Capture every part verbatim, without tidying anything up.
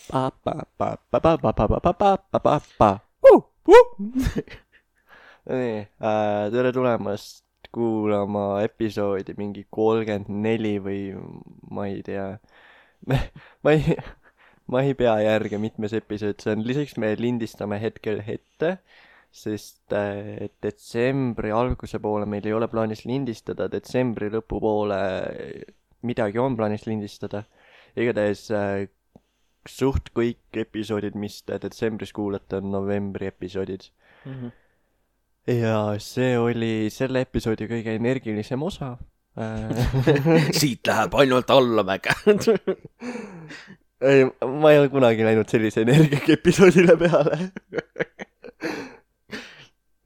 Pa, pa, pa, pa, pa, pa, pa, pa, pa, pa, pa, pa, pa. Uh, uh. nii, äh, tere tulemast kuulama episoodi mingi kolmkümmend neli või ma ei tea. ma ei, ma ei pea järge mitmes episood see on. Lisaks me lindistame hetkel ette, sest äh, detsembri alguse poole meil ei ole plaanis lindistada, detsembri lõpu poole midagi on plaanis lindistada. Igatahes äh, suht kõik episoodid, mis te detsembris kuulate, on novembri episoodid. Mm-hmm. Ja see oli selle episoodi kõige energilisem osa. Siit läheb ainult allamäge. Ei, ma ei ole kunagi läinud sellise energiaga episoodile peale.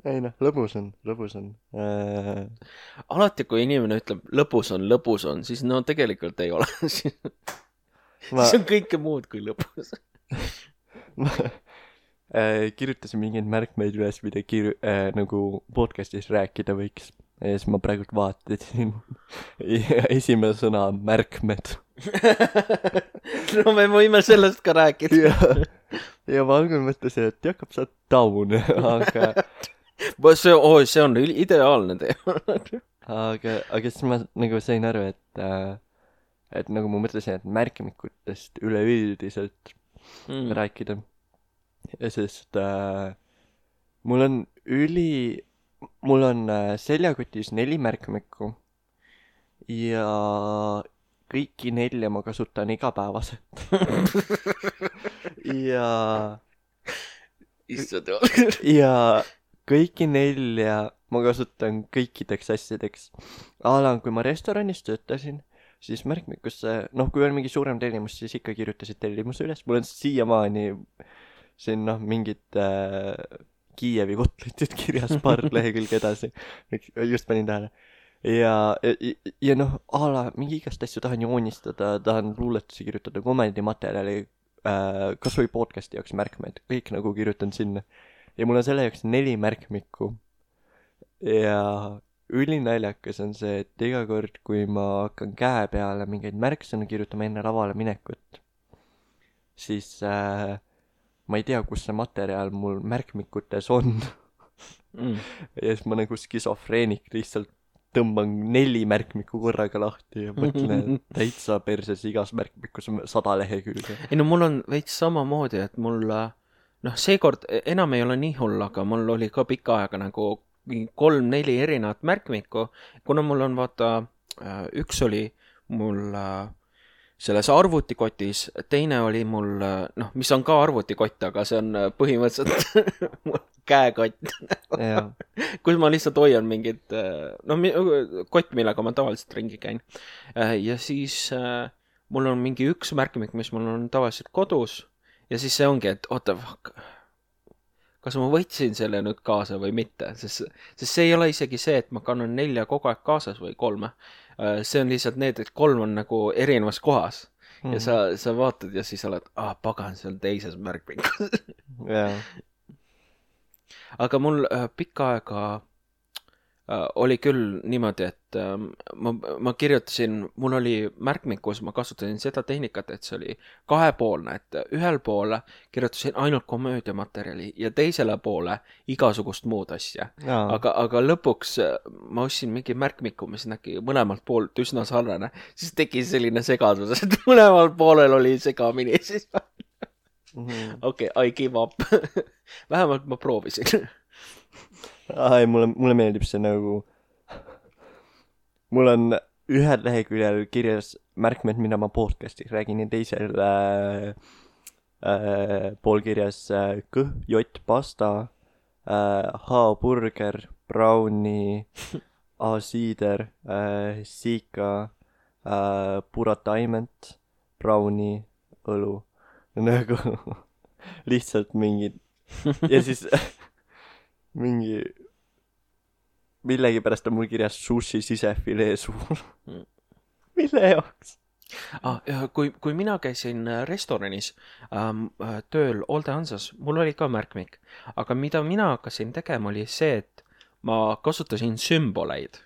Ei noh, lõbus on, lõbus on. Äh... Alati, kui inimene ütleb lõbus on, lõbus on, siis no tegelikult ei ole. Ma... see on kõike muud kui lõbus. ma äh, kirjutasin mingeid märkmeid üles, mida kir-, äh, nagu podcastis rääkida võiks. Ja siis ma praegult vaatasin. Esimene sõna on märkmed. No me võime sellest ka rääkida. ja, ja ma algul mõtlesin, et Jakob, sa oled taun. Aga... see, oh, see on ideaalne teema. aga, aga siis ma nagu sain aru, et äh, et nagu ma mõtlesin, et märkmikutest üleüldiselt mm. rääkida. Ja sest äh, mul on üli, mul on äh, seljakotis neli märkmikku ja kõiki nelja ma kasutan igapäevaselt. ja issand ja kõiki nelja ma kasutan kõikideks asjadeks. Alan, kui ma restoranis töötasin, siis märkmikusse, noh, kui on mingi suurem tellimus, siis ikka kirjutasid tellimuse üles. Mul on siiamaani siin, noh, mingid äh, Kiievi kotletid kirjas paar lehekülge edasi. Just panin tähele. Ja, ja, ja noh, ala, mingi igast asju tahan joonistada, tahan luuletusi kirjutada, komendimaterjali, äh, kas või podcasti jaoks märkmed. Kõik nagu kirjutan sinna. Ja mul on selle jaoks neli märkmikku. Ja... ülinaljakas on see, et iga kord, kui ma hakkan käe peale mingeid märksõnu kirjutama enne lavale minekut, siis äh, ma ei tea, kus see materjal mul märkmikutes on. mm. Ja siis ma nagu skisofreenik lihtsalt tõmban neli märkmikku korraga lahti ja mõtlen, et täitsa perses igas märkmikus on sada lehekülge. Ei no mul on veits samamoodi, et mul, noh, seekord enam ei ole nii hull, aga mul oli ka pikka aega nagu kolm-neli erinevat märkmikku, kuna mul on, vaata, üks oli mul selles arvutikotis, teine oli mul, noh, mis on ka arvutikott, aga see on põhimõtteliselt käekott, kus ma lihtsalt hoian mingid, noh, kott, millega ma tavaliselt ringi käin. Ja siis mul on mingi üks märkmik, mis mul on tavaliselt kodus ja siis see ongi, et oota, kas ma võtsin selle nüüd kaasa või mitte, sest, sest see ei ole isegi see, et ma kannan nelja kogu aeg kaasas või kolme. See on lihtsalt need, et kolm on nagu erinevas kohas mm. ja sa, sa vaatad ja siis oled, ah, pagan, see on teises märkmikus. yeah. Aga mul äh, pikka aega äh, oli küll niimoodi, et äh, ma, ma kirjutasin, mul oli märkmikus, ma kasutasin seda tehnikat, et see oli kahepoolne, et ühel poole kirjutasin ainult komöödiamaterjali ja teisele poole igasugust muud asja. Aga, aga lõpuks ma ostsin mingi märkmiku, mis nägi mõlemalt poolt üsna sarnane, siis tegi selline segadus, et mõlemal poolel oli segamini siis. mm-hmm. Okei, okay, I give up. Vähemalt ma proovisin. Ai, mulle, mulle meeldib see nagu... Mul on ühel leheküljel kirjas märkmed, mida ma podcastis räägin ja teisel äh, äh, pool kirjas äh, kõh, jott, pasta, äh, H-burger, browni, A-siider, äh, siika, äh, purataiment, browni, õlu. Nagu lihtsalt mingid... Ja siis mingi... Millegipärast on mul kirjas sushi sisefilee suur. Mille jaoks? Ah, kui, kui mina käisin restoranis ähm, tööl Olde Hansas, mul oli ka märkmik. Aga mida mina hakkasin tegema oli see, et ma kasutasin sümboleid.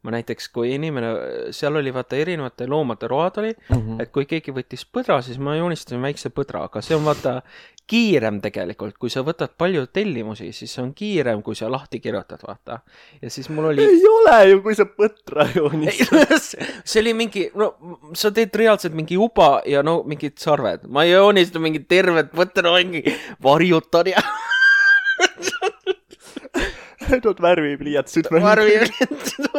ma näiteks, kui inimene, seal oli vaata erinevate loomade road oli, mm -hmm. et kui keegi võttis põdra, siis ma joonistasin väikse põdra, aga see on vaata kiirem tegelikult, kui sa võtad palju tellimusi, siis see on kiirem, kui sa lahti kirjutad, vaata. Ja siis mul oli... Ei ole ju, kui sa põdra joonistad. See oli mingi, no sa teed reaalselt mingi uba ja no mingid sarved. Ma joonista mingi tervet põdra, mingi varjutan ja... Tood värvipliiatsid. Värvipliiatsid.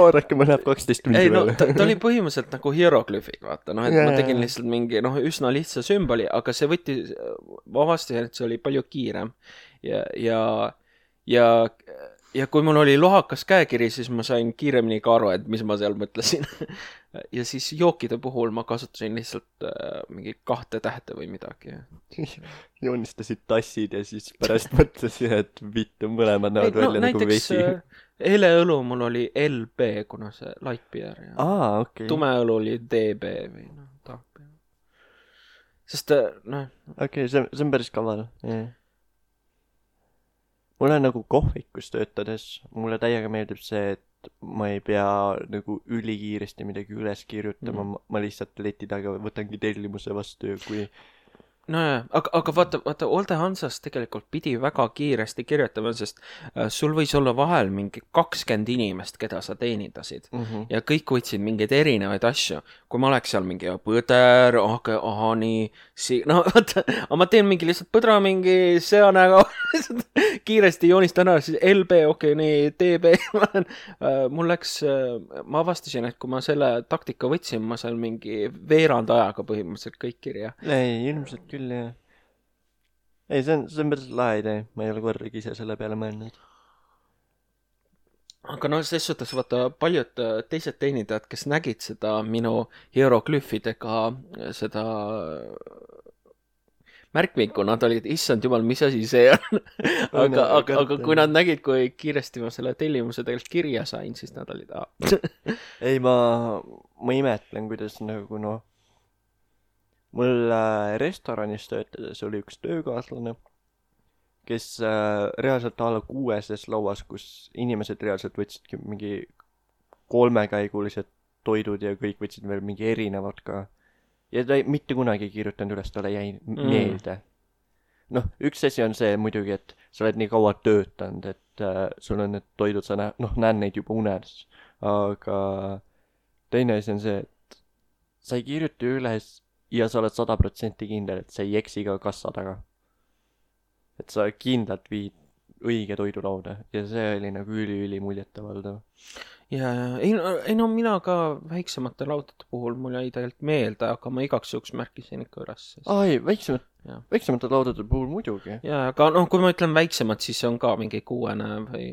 Oodake, ma läheb kaksteist tundi ei, no, ta, ta oli põhimõtteliselt nagu hieroglüüfid, vaata, noh, et yeah. ma tegin lihtsalt mingi, noh, üsna lihtsa sümboli, aga see võttis, ma avastasin, et see oli palju kiirem ja, ja, ja, ja kui mul oli lohakas käekiri, siis ma sain kiiremini ka aru, et mis ma seal mõtlesin. Ja siis jookide puhul ma kasutasin lihtsalt äh, mingi kahte tähte või midagi. Joonistasid tassid ja siis pärast mõtlesin, et vittu mõlemad näevad no, välja nagu vesi. Heleõlu mul oli L B, kuna see light beer. Ja Aa, okei. Okay. Tumeõlu oli D B või noh, dark beer. Sest, noh. Okei, okay, see, see on päris kaval. Yeah. Mulle nagu kohvikus töötades, mulle täiega meeldib see, et ma ei pea nagu ülikiiresti midagi üles kirjutama, mm. ma lihtsalt leti taga võtangi tellimuse vastu, kui... No jah, aga, aga vaata, vaata, Olde Hansas tegelikult pidi väga kiiresti kirjutama, sest äh, sul võis olla vahel mingi kakskümmend inimest, keda sa teenindasid mm -hmm. ja kõik võtsid mingeid erinevaid asju. Kui ma oleks seal mingi põder, aga aha, nii, si-, no vaata, ma teen mingi lihtsalt põdra mingi seanäga, kiiresti joonistan ära, siis L B, okei, okay, nii, D B, äh, mul läks, äh, ma avastasin, et kui ma selle taktika võtsin, ma seal mingi veerand ajaga põhimõtteliselt kõik kirja. Ei, ilmselt küll. Ja. Ei, see on, see on päris lahe idee. Ma ei ole kordagi ise selle peale mõelnud. Aga no selles suhtes vaata paljud teised teenindajad, kes nägid seda minu hieroglüüfidega seda märkmikku, nad olid, issand jumal, mis asi see on. aga, aga, aga kui nad nägid, kui kiiresti ma selle tellimuse tegelikult kirja sain, siis nad olid ah. Ei, ma, ma imetlen, kuidas nagu noh, mul äh, restoranis töötades oli üks töökaaslane, kes äh, reaalselt alla kuueses lauas, kus inimesed reaalselt võtsidki mingi kolmekäigulised toidud ja kõik võtsid veel mingi erinevad ka. Ja ta ei, mitte kunagi kirjutanud üles, talle jäi mm. meelde. Noh, üks asi on see muidugi, et sa oled nii kaua töötanud, et äh, sul on need toidud, sa näed, noh, näed neid juba unes. Aga teine asi on see, et sa ei kirjuta üles ja sa oled sada protsenti kindel, et sa ei eksi ka kassa taga. Et sa kindlalt viid õige toidulauda ja see oli nagu üli-üli muljetavaldav. Ja, ei, ei no mina ka väiksemate laudade puhul mul jäi tegelikult meelde, aga ma igaks juhuks märkisin ikka üles. Ai, väiksemat, väiksemate laudade puhul muidugi. Ja, aga noh, kui ma ütlen väiksemad, siis see on ka mingi kuuene või...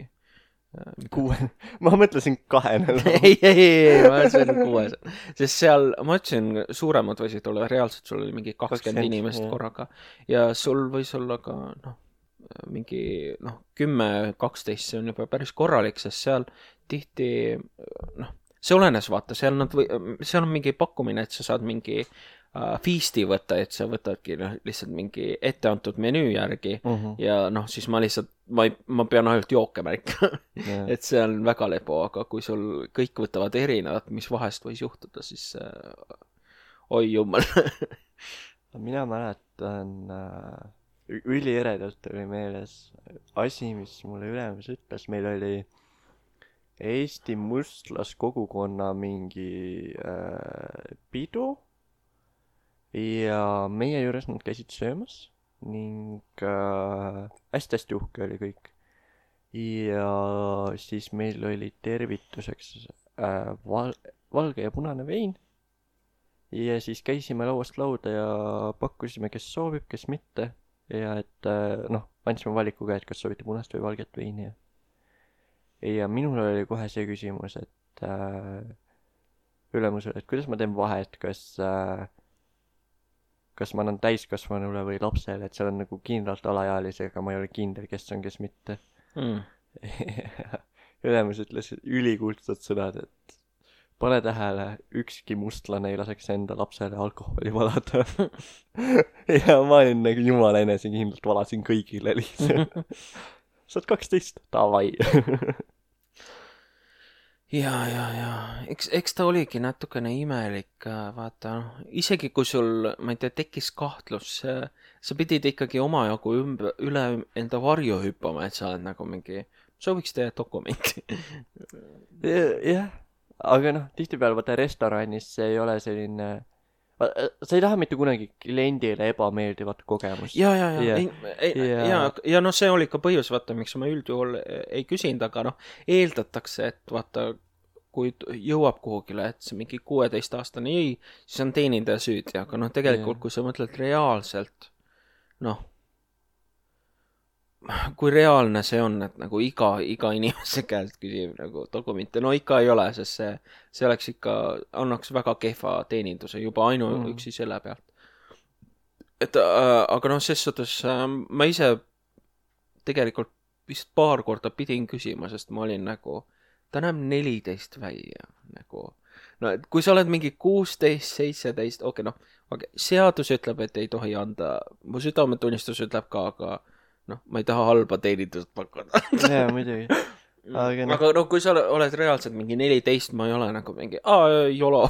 Kuue, ma mõtlesin kahene. ei, ei, ei, ma mõtlesin kuues. Sest seal, ma ütlesin, suuremad võisid olla, reaalselt sul oli mingi kakskümmend inimest jah. Korraga. Ja sul võis olla ka, noh, mingi, noh, kümme, kaksteist, see on juba päris korralik, sest seal tihti, noh, see olenes, vaata, seal nad või, seal on mingi pakkumine, et sa saad mingi uh, feasti võtta, et sa võtadki noh, lihtsalt mingi etteantud menüü järgi uh -huh. ja noh, siis ma lihtsalt ma, ei, ma pean ainult jooke märkima yeah. et see on väga lebo, aga kui sul kõik võtavad erinevat, mis vahest võis juhtuda, siis uh, oi jumal. Mina mäletan uh, ülieredalt oli meeles asi, mis mulle ülemus ütles, meil oli Eesti mustlaskogukonna mingi äh, pidu ja meie juures nad käisid söömas ning äh, hästi-hästi uhke oli kõik. Ja siis meil oli tervituseks äh, val- valge ja punane vein ja siis käisime lauast lauda ja pakkusime, kes soovib, kes mitte ja et äh, noh, andsime valikuga, et kas soovite punast või valget veini ja ja minul oli kohe see küsimus, et äh, ülemusel, et kuidas ma teen vahet, kas äh, kas ma annan täiskasvanule või lapsele, et seal on nagu kindlalt alaealisega, ma ei ole kindel, kes on, kes mitte mm. ülemus ütles ülikuldsed sõnad, et pane tähele, ükski mustlane ei laseks enda lapsele alkoholi valada ja ma olin nagu jumala enesekindlalt valasin kõigile lihtsalt. Saad kaksteist, davai. ja, ja, ja eks, eks ta oligi natukene imelik, vaata, noh, isegi kui sul, ma ei tea, tekkis kahtlus, sa pidid ikkagi omajagu ümber, üle enda varju hüppama, et sa oled nagu mingi, sooviks teie dokumenti. jah, aga noh, tihtipeale vaata restoranis see ei ole selline, sa ei taha mitte kunagi kliendile ebameeldivat kogemust. ja, ja, ja, ja, ei, ei, ja, ja, ja noh, see oli ka põhjus, vaata, miks ma üldjuhul ei küsinud, aga noh, eeldatakse, et vaata, kui jõuab kuhugile, et see mingi kuueteistaastane jäi, siis on teenindaja süüdi, aga noh, tegelikult, kui sa mõtled reaalselt, noh, kui reaalne see on, et nagu iga, iga inimese käest küsib nagu dokumente, no ikka ei ole, sest see, see oleks ikka, annaks väga kehva teeninduse juba ainuüksi mm. selle pealt. Et äh, aga noh, ses suhtes äh, ma ise tegelikult vist paar korda pidin küsima, sest ma olin nagu, ta näeb neliteist välja, nagu, no et kui sa oled mingi kuusteist, seitseteist, okei okay, noh, okay, seadus ütleb, et ei tohi anda, mu südametunnistus ütleb ka, aga noh, ma ei taha halba teenindust pakkuda. jaa, muidugi. Aga, no. aga no kui sa oled reaalselt mingi neliteist, ma ei ole nagu mingi, aa, jolo.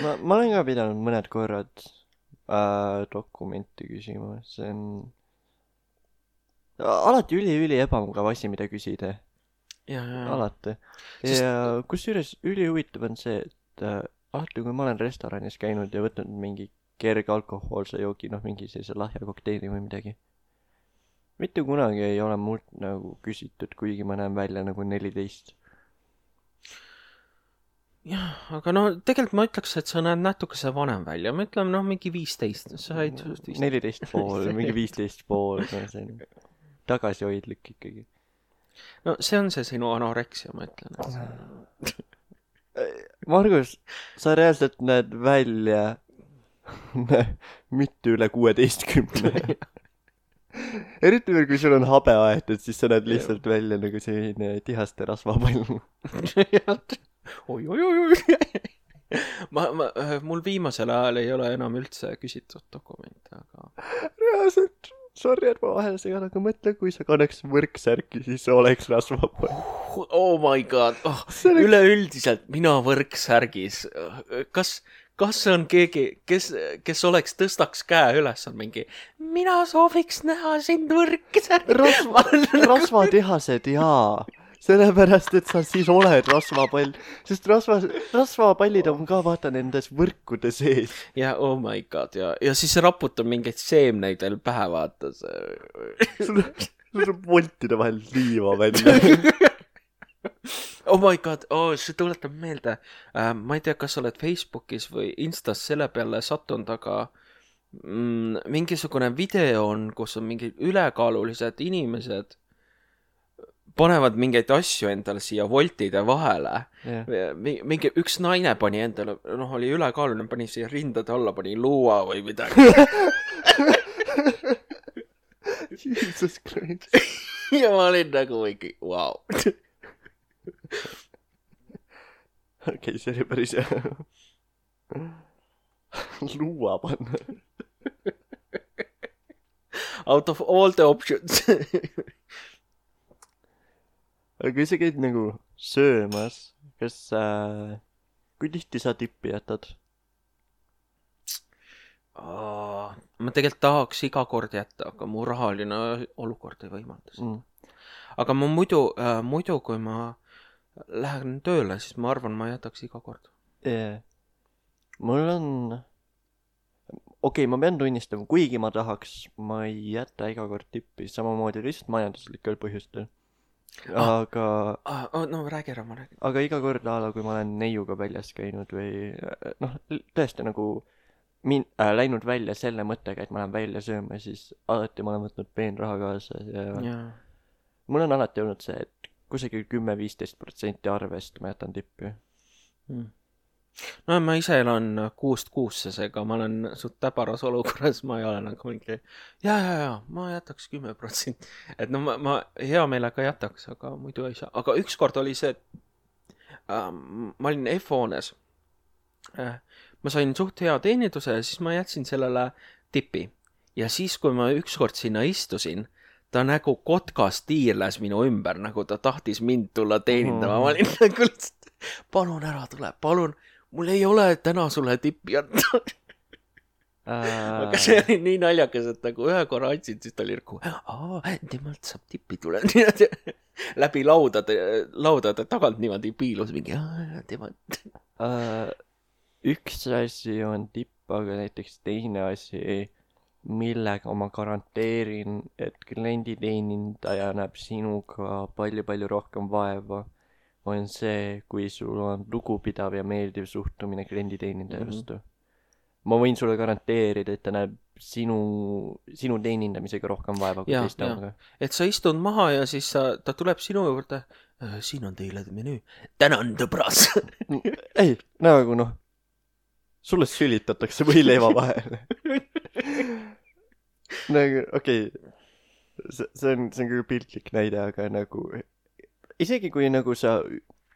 ma, ma olen ka pidanud mõned korrad äh, dokumenti küsima, see on alati üli-üli ebamugav asi, mida küsida. Ja, ja, ja. alati. ja Sest... kusjuures ülihuvitav on see, et äh, alati kui ma olen restoranis käinud ja võtnud mingi kerge alkohoolse joogi, noh mingi sellise lahja kokteili või midagi, mitte kunagi ei ole mult nagu küsitud, kuigi ma näen välja nagu neliteist. jah, aga no tegelikult ma ütleks, et sa näed natukese vanem välja, ma ütlen noh mingi viisteist, sa said neliteist pool, mingi viisteist pool, see on tagasihoidlik ikkagi. no see on see sinu anoreksia, ma ütlen et... Margus, sa reaalselt näed välja mitte üle kuueteistkümne. Eriti veel, kui sul on habe aetud, siis sa näed lihtsalt ja. välja nagu selline tihaste rasvapall. oi, oi, oi, oi. ma, ma, mul viimasel ajal ei ole enam üldse küsitud dokumente, aga... Reaalselt, sorry, et ma vahel segan, aga mõtle, kui sa kannaks võrksärki, siis oleks rasvapall. Oh my god, oh, oleks... üleüldiselt mina võrksärgis. Kas... kas on keegi, kes, kes oleks tõstaks käe üles, on mingi, mina sooviks näha sind võrksärgi. Rasva, rasvatehased, jaa. Sellepärast, et sa siis oled rasvapall. Sest rasva, rasvapallid on ka, vaata, nendes võrkude sees. ja, oh my god, ja, ja siis raputab mingeid seemneid veel pähe, vaata. sul on voltide vahel liiva välja. oh my god, oh, see tuletab meelde äh, ma ei tea, kas sa oled Facebookis või Instas selle peale sattunud, aga mm, mingisugune video on, kus on mingid ülekaalulised inimesed panevad mingeid asju endale siia voltide vahele yeah. mingi, üks naine pani endale, noh, oli ülekaaluline, pani siia rindade alla, pani luua või midagi. Jesus Christ. ja ma olin nagu mingi, vau wow. okei okay, see oli päris hea. luua panna. out of all the options. aga kui sa käid nagu söömas, kas äh, kui tihti sa tippi jätad? Oh, ma tegelikult tahaks iga kord jätta, aga mu rahaline olukord ei võimalda seda mm. aga ma muidu äh, muidu kui ma lähen tööle, siis ma arvan, ma jätaks iga kord. Yeah. Mul on... Okei, okay, ma pean tunnistama, kuigi ma tahaks, ma ei jäta iga kord tippi, samamoodi lihtsalt majanduslikel põhjustel. Aga... Ah, ah, no räägi ära, ma räägin. Aga iga kord ala, kui ma olen neiuga väljas käinud või... Noh, tõesti nagu min- äh, läinud välja selle mõttega, et ma lähen välja sööma, siis alati ma olen võtnud peenraha kaasa ja... ja. Mul on alati olnud see, et kusagil kümme viisteist protsenti arvest ma jätan tippi. Hmm. No ma ise elan kuust kuusse, seega ma olen suht täbaras olukorras, ma ei ole nagu mingi ja, ja, ja, ma jätaks kümme protsenti. Et no ma, ma hea meelega jätaks, aga muidu ei saa. Aga ükskord oli see, äh, ma olin F-hoones. Äh, ma sain suht hea teeninduse ja siis ma jätsin sellele tippi. Ja siis, kui ma ükskord sinna istusin, ta nagu kotkas tiirles minu ümber, nagu ta tahtis mind tulla teenindama. Ma olin nagu lihtsalt, palun ära tule, palun, mul ei ole täna sulle tippi anda. Aga see oli nii naljakas, et nagu ühe korra andsid, siis ta oli nagu, aa, temalt saab tippi tule. Läbi laudade, laudade tagant niimoodi piilus mingi, aa, temalt. Uh, üks asi on tipp, aga näiteks teine asi, millega ma garanteerin, et klienditeenindaja näeb sinuga palju-palju rohkem vaeva, on see, kui sul on lugupidav ja meeldiv suhtumine klienditeenindaja mm-hmm. vastu. Ma võin sulle garanteerida, et ta näeb sinu, sinu teenindamisega rohkem vaeva kui teist omaga. Et sa istud maha ja siis sa, ta tuleb sinu juurde, siin on teile menüü. Tänan, tõbras! Ei, nagu noh, sulle sülitatakse või leiva vahele. Nagu, okei, okay, see, see on, see on küll piltlik näide, aga nagu, isegi kui nagu sa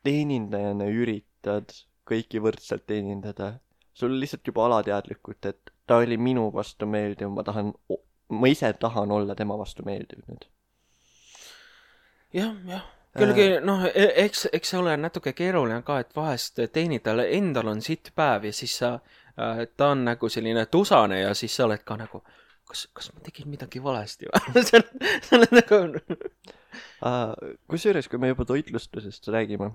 teenindajana üritad kõiki võrdselt teenindada, sul lihtsalt juba alateadlikult, et ta oli minu vastu meeldiv, ma tahan, ma ise tahan olla tema vastu meeldiv nüüd. Jah, jah. Küllegi, noh, eks, eks see ole natuke keeruline ka, et vahest teenindajale endal on sitt päev ja siis sa, ta on nagu selline tusane ja siis sa oled ka nagu, kas, kas ma tegin midagi valesti või? see on nagu... Kusjuures, kui me juba toitlustusest räägime,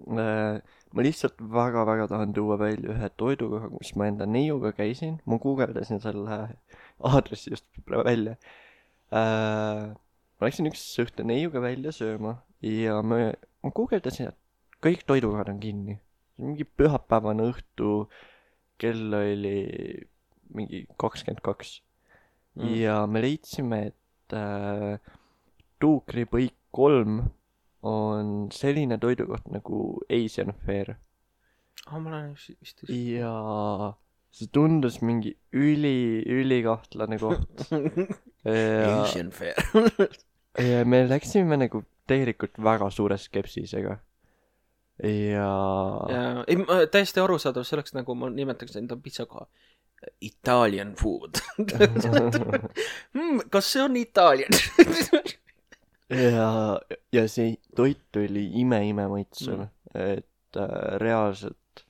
ma lihtsalt väga-väga tahan tuua välja ühe toidukoha, kus ma enda neiuga käisin. Ma guugeldasin selle aadressi just välja. Ma läksin üks õhtu neiuga välja sööma ja ma, ma guugeldasin, et kõik toidukohad on kinni. Mingi pühapäevane õhtu, kell oli mingi kakskümmend kaks. Mm. Ja me leidsime, et äh, Tuukripõik kolm on selline toidukoht nagu Asian Fair. Ah, ma olen vist vist. Ja see tundus mingi üli, ülikahtlane koht. ja, Asian Fair. ja me läksime nagu tegelikult väga suure skepsisega. Ja... ja ei, täiesti arusaadav selleks, nagu ma nimetaks enda pitsakoha. Italian food. hmm, kas see on Italian? ja, ja see toit oli ime-ime maitsev, mm. et äh, reaalselt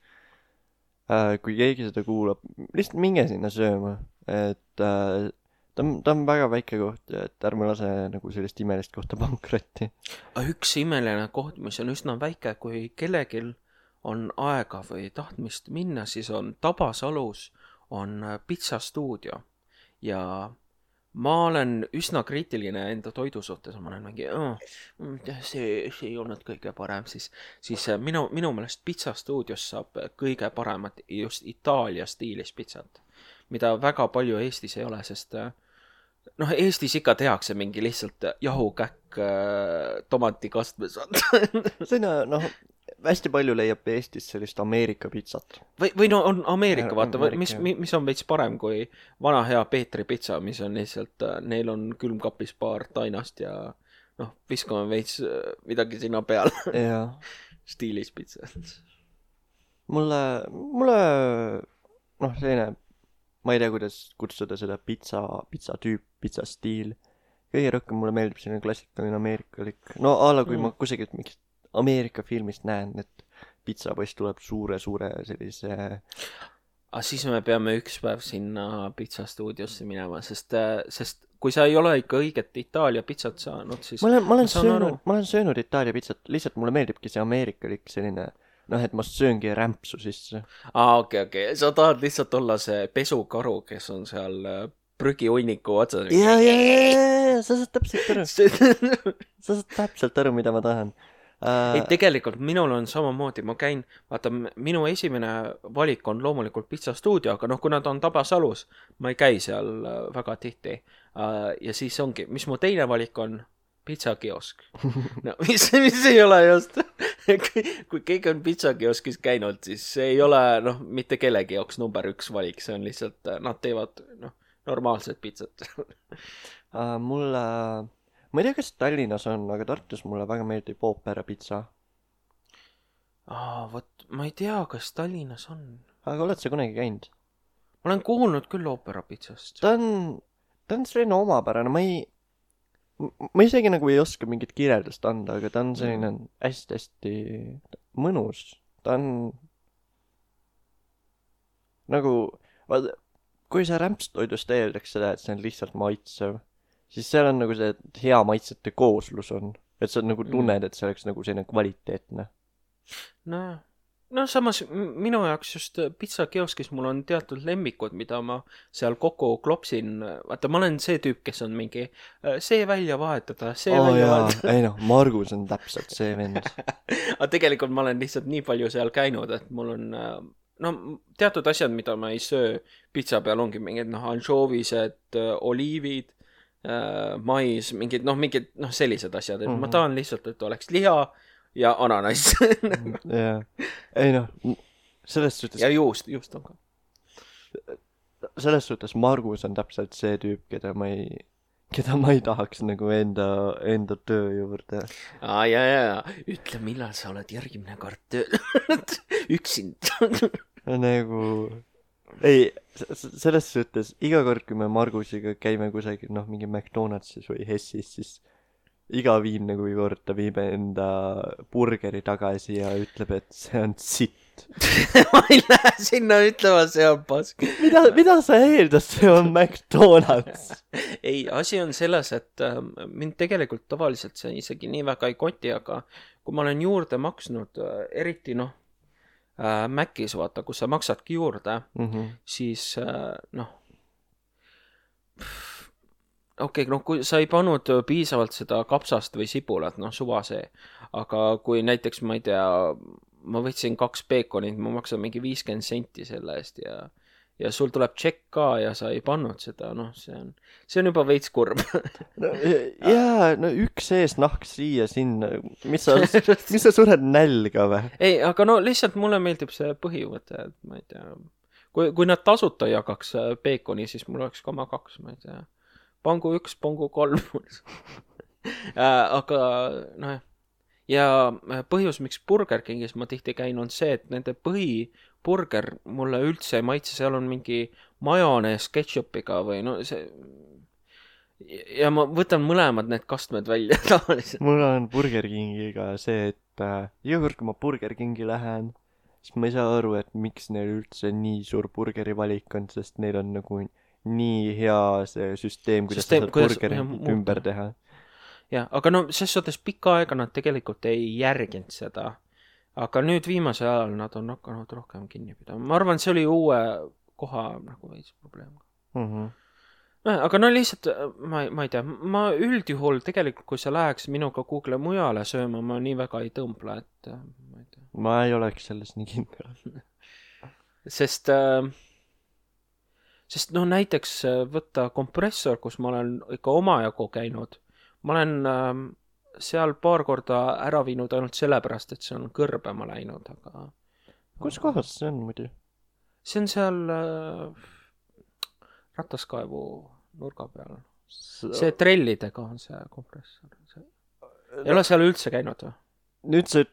äh, kui keegi seda kuulab, lihtsalt minge sinna sööma, et äh, ta, on, ta on väga väike koht, et ärme lase nagu sellist imelist kohta pankrotti. Üks imeline koht, mis on üsna väike, kui kellegil on aega või tahtmist minna, siis on Tabasalus on pitsastuudio ja ma olen üsna kriitiline enda toidu suhtes, ma olen mingi, oh, see, see ei olnud kõige parem, siis, siis minu, minu meelest pitsastuudios saab kõige paremat just Itaalia stiilis pitsat, mida väga palju Eestis ei ole, sest noh, Eestis ikka tehakse mingi lihtsalt jahukäkk tomatikastmes. Seda, noh, hästi palju leiab Eestis sellist Ameerika pitsat. Või, või no on Ameerika, vaata, mis, mis on veits parem kui vana hea Peetri pitsa, mis on lihtsalt, neil on külmkapis paar tainast ja noh, viskame veits midagi sinna peal. Stiilis pitsa. Mulle, mulle, noh, selline, ma ei tea, kuidas kutsuda seda pitsa, pitsa tüüp, pitsa stiil. Kõige rohkem mulle meeldib selline klassikaline ameerikalik. No ala, kui mm. ma kusagilt mingit Ameerika filmist näen, et pitsapoiss tuleb suure-suure sellise... Ah, siis me peame üks päev sinna pitsastuudiosse minema, sest, sest kui sa ei ole ikka õiget Itaalia pitsat saanud, siis... Ma olen, ma olen, söönud, ma olen söönud Itaalia pitsat, lihtsalt mulle meeldibki see ameerikalik selline, noh, et ma sööngi rämpsu sisse. Ah, okei, okay, okei. Okay. Sa tahad lihtsalt olla see pesukaru, kes on seal prügiunniku otsas. Ja, ja, ja, ja, sa saad täpselt aru. sa saad täpselt aru, mida ma tahan. Uh... ei, tegelikult minul on samamoodi, ma käin, vaata, minu esimene valik on loomulikult pitsastuudio, aga noh, kui nad on Tabasalus, ma ei käi seal väga tihti. Uh, ja siis ongi, mis mu teine valik on, pitsakiosk. No, mis, mis ei ole just, kui keegi on pitsakioskis käinud, siis see ei ole, noh, mitte kellegi jaoks number üks valik, see on lihtsalt, nad teevad, noh, normaalset pitsat. uh, mulle... Ma ei tea, kas Tallinnas on, aga Tartus mulle väga meeldib Oopera pitsa. Aa, võt, ma ei tea, kas Tallinnas on. Aga oled sa kunagi käinud? Ma olen kuulnud küll Oopera pitsast. Ta on, ta on selline omapärane, ma ei, ma isegi nagu ei oska mingit kirjeldust anda, aga ta on selline hästi-hästi mõnus. Ta on nagu, vaata, kui sa rämpstoidust eeldaks seda, et see on lihtsalt maitsev, siis seal on nagu see hea maitsete kooslus on. Et sa nagu tunned, et see oleks nagu selline kvaliteetne. No, no samas minu jaoks just pitsakioskis mul on teatud lemmikud, mida ma seal kokku klopsin. Vaata, ma olen see tüüp, kes on mingi see välja vahetada, see oh, välja jaa. vahetada. Ei noh, Margus on täpselt see vend. Aga tegelikult ma olen lihtsalt nii palju seal käinud, et mul on no teatud asjad, mida ma ei söö pitsa peal ongi mingid noh, anšoovised, oliivid, mais, mingid noh, mingid noh, sellised asjad, et mm-hmm. ma tahan lihtsalt, et oleks liha ja ananas. Jaa. Ei noh, selles suhtes... Ja juust, juust on ka. Selles suhtes Margus on täpselt see tüüp, keda ma ei, keda ma ei tahaks nagu enda, enda töö juurde. Aa, jaa, jaa. Ütle, millal sa oled järgimine kord tööl. Üksind. Nagu... Ei, selles suhtes iga kord, kui me Margusiga käime kusagil, noh, mingi McDonaldsis või Hessis, siis iga viimne kui kord ta viib enda burgeri tagasi ja ütleb, et see on sitt. Ma ei lähe sinna ütlema, see on pask. Mida, mida sa eeldad, see on McDonald's? Ei, asi on selles, et äh, mind tegelikult tavaliselt see isegi nii väga ei koti, aga kui ma olen juurde maksnud, äh, eriti noh, äh, Mäkis, vaata, kus sa maksadki juurde, mm-hmm. siis äh, noh, okei, okay, noh, kui sa ei pannud piisavalt seda kapsast või sibulat, noh, suva see. Aga kui näiteks, ma ei tea, ma võtsin kaks peekonit, ma maksan mingi viiskümmend senti selle eest ja, ja sul tuleb tšekk ka ja sa ei pannud seda, noh, see on, see on juba veits kurb. no, jaa, no üks ees nahk siia sinna, mis sa, mis sa sured nälga või? Ei, aga no lihtsalt mulle meeldib see põhivõte, et ma ei tea, kui, kui nad tasuta jagaks peekoni, siis mul oleks koma kaks, ma ei tea. Pangu üks, pangu kolm. Aga noh, ja põhjus, miks Burger Kingis ma tihti käin, on see, et nende põhiburger mulle üldse ei maitse, seal on mingi majonees ketšupiga või no see... Ja ma võtan mõlemad need kastmed välja tavaliselt. Mul on Burger Kingiga see, et äh, iga kord, kui ma Burger Kingi lähen, siis ma ei saa aru, et miks neil üldse nii suur burgeri valik on, sest neil on nagu... nii hea see süsteem, kuidas süsteem, sa saad burgerit ümber teha. Ja, aga no ses suhtes pikka aega nad tegelikult ei järginud seda. Aga nüüd viimase ajal nad on hakanud rohkem kinni pidama. Ma arvan, see oli uue koha nagu veits probleem. Mm-hmm. No, aga no lihtsalt, ma, ma ei tea, ma üldjuhul tegelikult, kui sa läheks minuga Google mujale sööma, ma nii väga ei tõmbla, et ma ei tea. Ma ei oleks selles nii kindel. Sest... Äh, Sest no näiteks võtta kompressor, kus ma olen ikka omajagu käinud. Ma olen äh, seal paar korda ära viinud ainult sellepärast, et see on kõrbema läinud, aga... Kus kohas see on muidu? See on seal äh, rataskaevu nurga peal. See trellidega on see kompressor. See... Ei ole seal üldse käinud või? Nüüd see,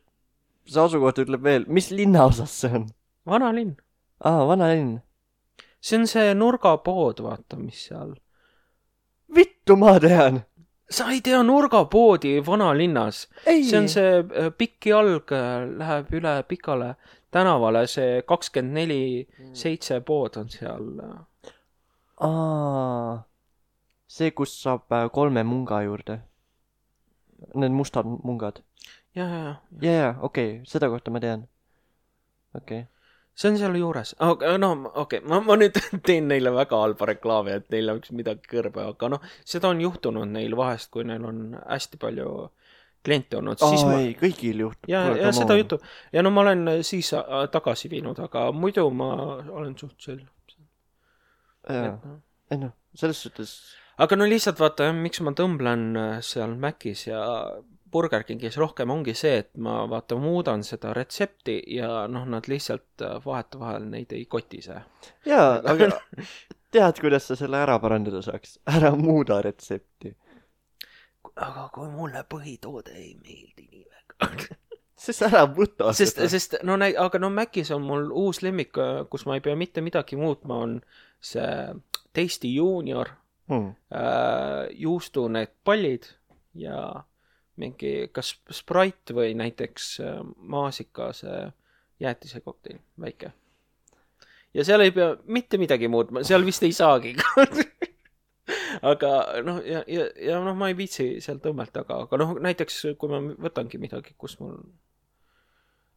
see asukoht ütleb veel, mis linnaosas see on? Vana linn. Aa, vana linn. See on see nurgapood, vaata, mis seal. Vittu ma tean! Sa ei tea nurgapoodi vana linnas. Ei. See on see pikki alg, läheb üle pikale tänavale, see kakskümmend neli seitse pood on seal. Aa, see, kus saab kolme munga juurde. Need mustad mungad. Ja, ja, ja. Ja, ja, okei, okay. Seda kohta ma tean. Okei. Okay. See on seal juures. Okay, no okei, okay. ma, ma nüüd teen neile väga halba reklaami, et neil oleks midagi kõrbe, aga noh, seda on juhtunud neil vahest, kui neil on hästi palju kliente olnud. Aa, ma... ei, kõigil juhtub. Ja, ja seda juhtub. Ja no ma olen siis tagasi viinud, aga muidu ma olen suht sel. Jaa, ei noh, selles suhtes... Aga no lihtsalt vaata, miks ma tõmblen seal Mäkis ja... Burger Kingis rohkem ongi see, et ma vaata muudan seda retsepti ja noh, nad lihtsalt vahet vahel neid ei koti see. Jaa, aga tead, kuidas sa selle ära parandada saaks? Ära muuda retsepti. Aga kui mulle põhitoode ei meeldi nii väga. Sest ära võta sest, sest no näi, aga no Mäkis on mul uus lemmik, kus ma ei pea mitte midagi muutma, on see Tasty Junior. mm. äh, juustu need pallid ja mingi kas Sprite või näiteks äh, maasika see jäätise kokteil, väike. Ja seal ei pea mitte midagi muutma, seal vist ei saagi aga noh, ja, ja, ja noh, ma ei viitsi seal tõmmelt, aga, aga noh, näiteks kui ma võtangi midagi, kus mul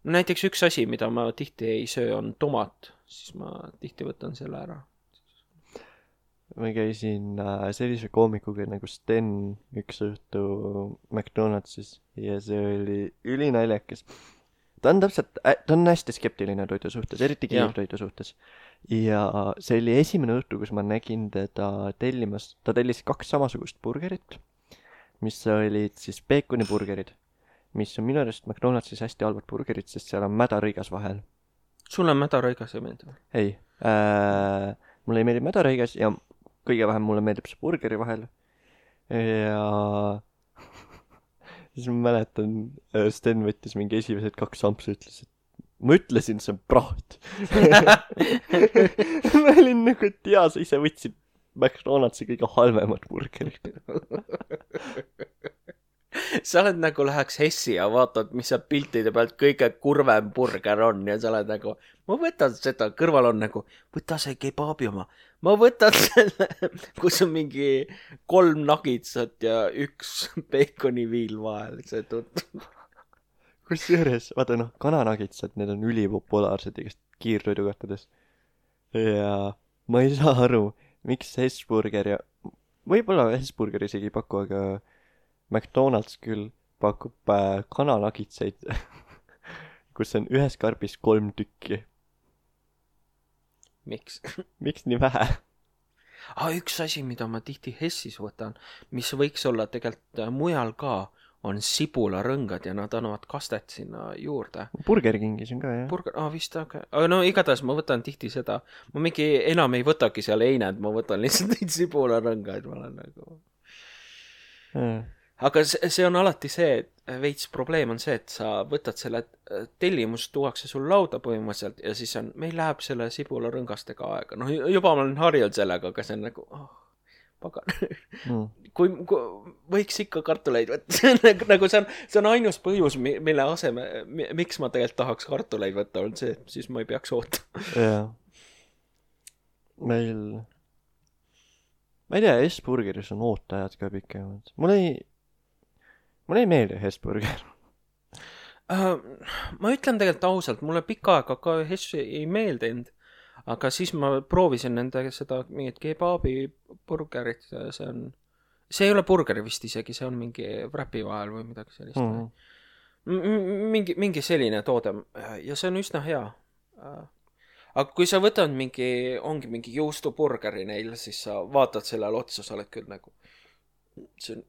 näiteks üks asi, mida ma tihti ei söö, on tomat, siis ma tihti võtan selle ära. Ma käisin äh, sellise koomikuga nagu Sten üks õhtu McDonaldsis ja see oli ülinaljakas. Ta on täpselt, ta on hästi skeptiline toidu suhtes, eriti kiirtoidu suhtes. Ja see oli esimene õhtu, kus ma nägin teda tellimas, ta tellis kaks samasugust burgerit, mis olid siis peekoniburgerid, mis on minu arust McDonaldsis hästi halvad burgerid, sest seal on mädarõigas vahel. Sul on mädarõigas ei meeldi? Ei, äh, mulle ei meeldi mädarõigas ja kõige vähem mulle meeldib see burgeri vahel. Ja siis ma mäletan, Sten võttis mingi esimesed kaks sampsu ja ütles, et ma ütlesin, see on praht. Ma olin nagu, et jaa, sa ise võtsid McDonaldsi kõige halvemad burgerid. Sa oled nagu läheks Hessi ja vaatad, mis seal piltide pealt kõige kurvem burger on ja sa oled nagu, ma võtan seda, kõrval on nagu, võta see kebaabi oma, ma võtan selle, kus on mingi kolm nagitsat ja üks peekoniviil vahel, see tundub. Kus juures, vaata noh, kananagitsad, need on ülipopulaarsed igast kiirtoidukohtades. Ja ma ei saa aru, miks Hesburger ja võib-olla Hesburger isegi ei paku, aga McDonald's küll pakub äh, kananagitseid, kus on ühes karbis kolm tükki. Miks? Miks nii vähe? Ah, üks asi, mida ma tihti Hessis võtan, mis võiks olla tegelikult mujal ka, on sibularõngad ja nad annavad kastet sinna juurde. Burger Kingis on ka, jah? Burger, ah vist, aga okay. No igatahes ma võtan tihti seda. Ma mingi enam ei võtagi seal eined, ma võtan lihtsalt neid sibularõngaid. Ma olen nagu... Ja. Aga see on alati see, et veits probleem on see, et sa võtad selle tellimus, tuuakse sul lauda põhimõtteliselt ja siis on, meil läheb selle sibularõngastega aega. No juba ma olen harjunud sellega, aga see on nagu, oh, pagan. Mm. Kui, kui võiks ikka kartuleid võtta, nagu see on, see on ainus põhjus, mille aseme, miks ma tegelikult tahaks kartuleid võtta, on see, siis ma ei peaks ootama. Jaa. Meil, ma ei tea, Hesburgeris on ootajad ka pikemad. Mul ei, mul ei meeldi Hesburger. Uh, ma ütlen tegelikult ausalt, mulle pikka aega ka Hessi ei meeldinud. Aga siis ma proovisin nende seda mingit kebaabi burgerit, see on, see ei ole burger vist isegi, see on mingi wrapi vahel või midagi sellist. Mm-hmm. Mingi, mingi selline toode ja see on üsna hea. Aga kui sa võtad mingi, ongi mingi juustuburgeri neil, siis sa vaatad sellele otsa, sa oled küll nagu, see on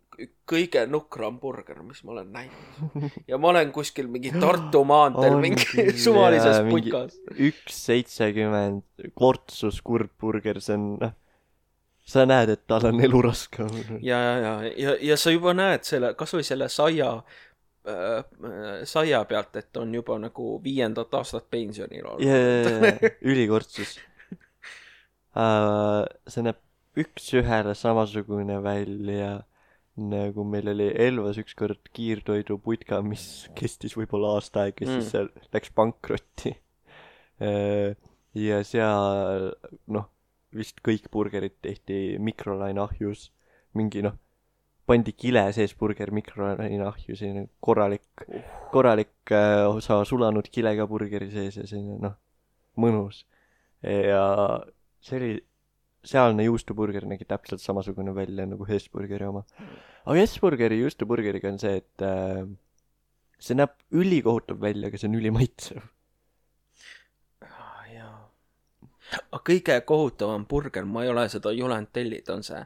kõige nukram burger, mis ma olen näinud. Ja ma olen kuskil mingi Tartu maanteel on mingi suvalises puikas. üks seitsekümmend kortsus kurbburger, see on, sa näed, et tal on elu raske. Ja, ja, ja, ja, ja sa juba näed selle, kas või selle saia, äh, saia pealt, et on juba nagu viiendat aastat pensionil olnud. Ja, ja, ja, ülikortsus. Uh, see näeb üks ühele samasugune välja, nagu meil oli Elvas ükskord kiirtoidu putka, mis kestis võib-olla aasta aega, mm. siis seal läks pankrotti. Ja seal, noh, vist kõik burgerid tehti mikrolaine ahjus. Mingi, noh, pandi kile sees burger mikrolaine ahjus, korralik, korralik osa sulanud kilega burgeri sees ja selline, noh, mõnus. Ja see oli sealne juustuburger nägi täpselt samasugune välja nagu Hesburgeri oma. Aga Hesburgeri juustuburgeriga on see, et äh, see näeb ülikohutav välja, aga see on ülimaitsev. Ah, jaa. Aga kõige kohutavam burger, ma ei ole seda julenud tellid, on see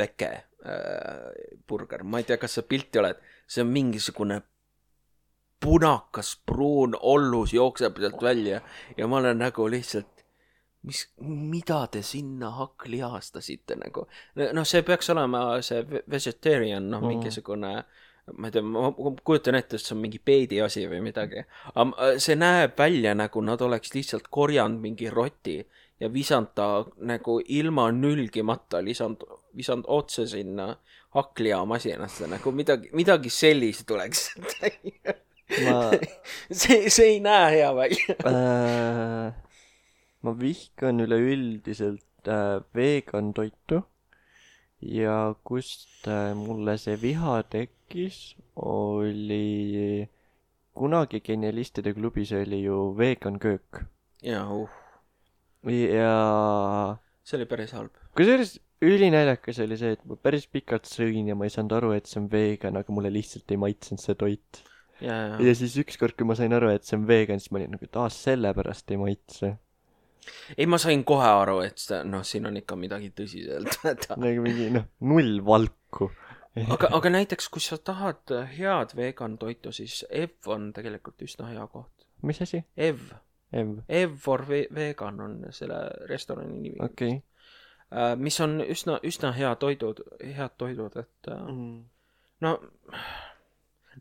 veke äh, burger. Ma ei tea, kas sa pilti oled. See on mingisugune punakas, pruun ollus jookseb sealt välja ja ma olen nagu lihtsalt mis, mida te sinna hakklihastasite nagu. No see peaks olema see vegetarian, noh, mingisugune, ma ei tea, ma kujutan ette, et see on mingi peedi asi või midagi. Aga see näeb välja nagu nad oleks lihtsalt korjanud mingi roti ja visand ta nagu ilma nülgimata lisand, visand otse sinna hakklihamasinasse, nagu midagi, midagi sellist tuleks. ma see, see ei näe hea välja. äh, ma vihkan üleüldiselt äh, vegan toitu ja kust äh, mulle see viha tekkis, oli kunagi Genialistide klubis oli ju vegan köök. ja uh. ja see oli päris halb. kusjuures ülinäljakas oli see, et ma päris pikalt sõin ja ma ei saanud aru, et see on vegan, aga mulle lihtsalt ei maitsenud see toit. ja, ja. ja siis ükskord, kui ma sain aru, et see on vegan, siis ma olin nagu, et aa, sellepärast ei maitse. ei, ma sain kohe aru, et noh, siin on ikka midagi tõsiselt. nagu mingi, noh, null valku. aga, aga näiteks, kui sa tahad head vegan toitu, siis Ev on tegelikult üsna hea koht. mis asi? Ev. Ev. Ev for ve vegan on selle restorani nimi. okei okay. Uh, mis on üsna, üsna hea toidud, head toidud, et uh, mm. no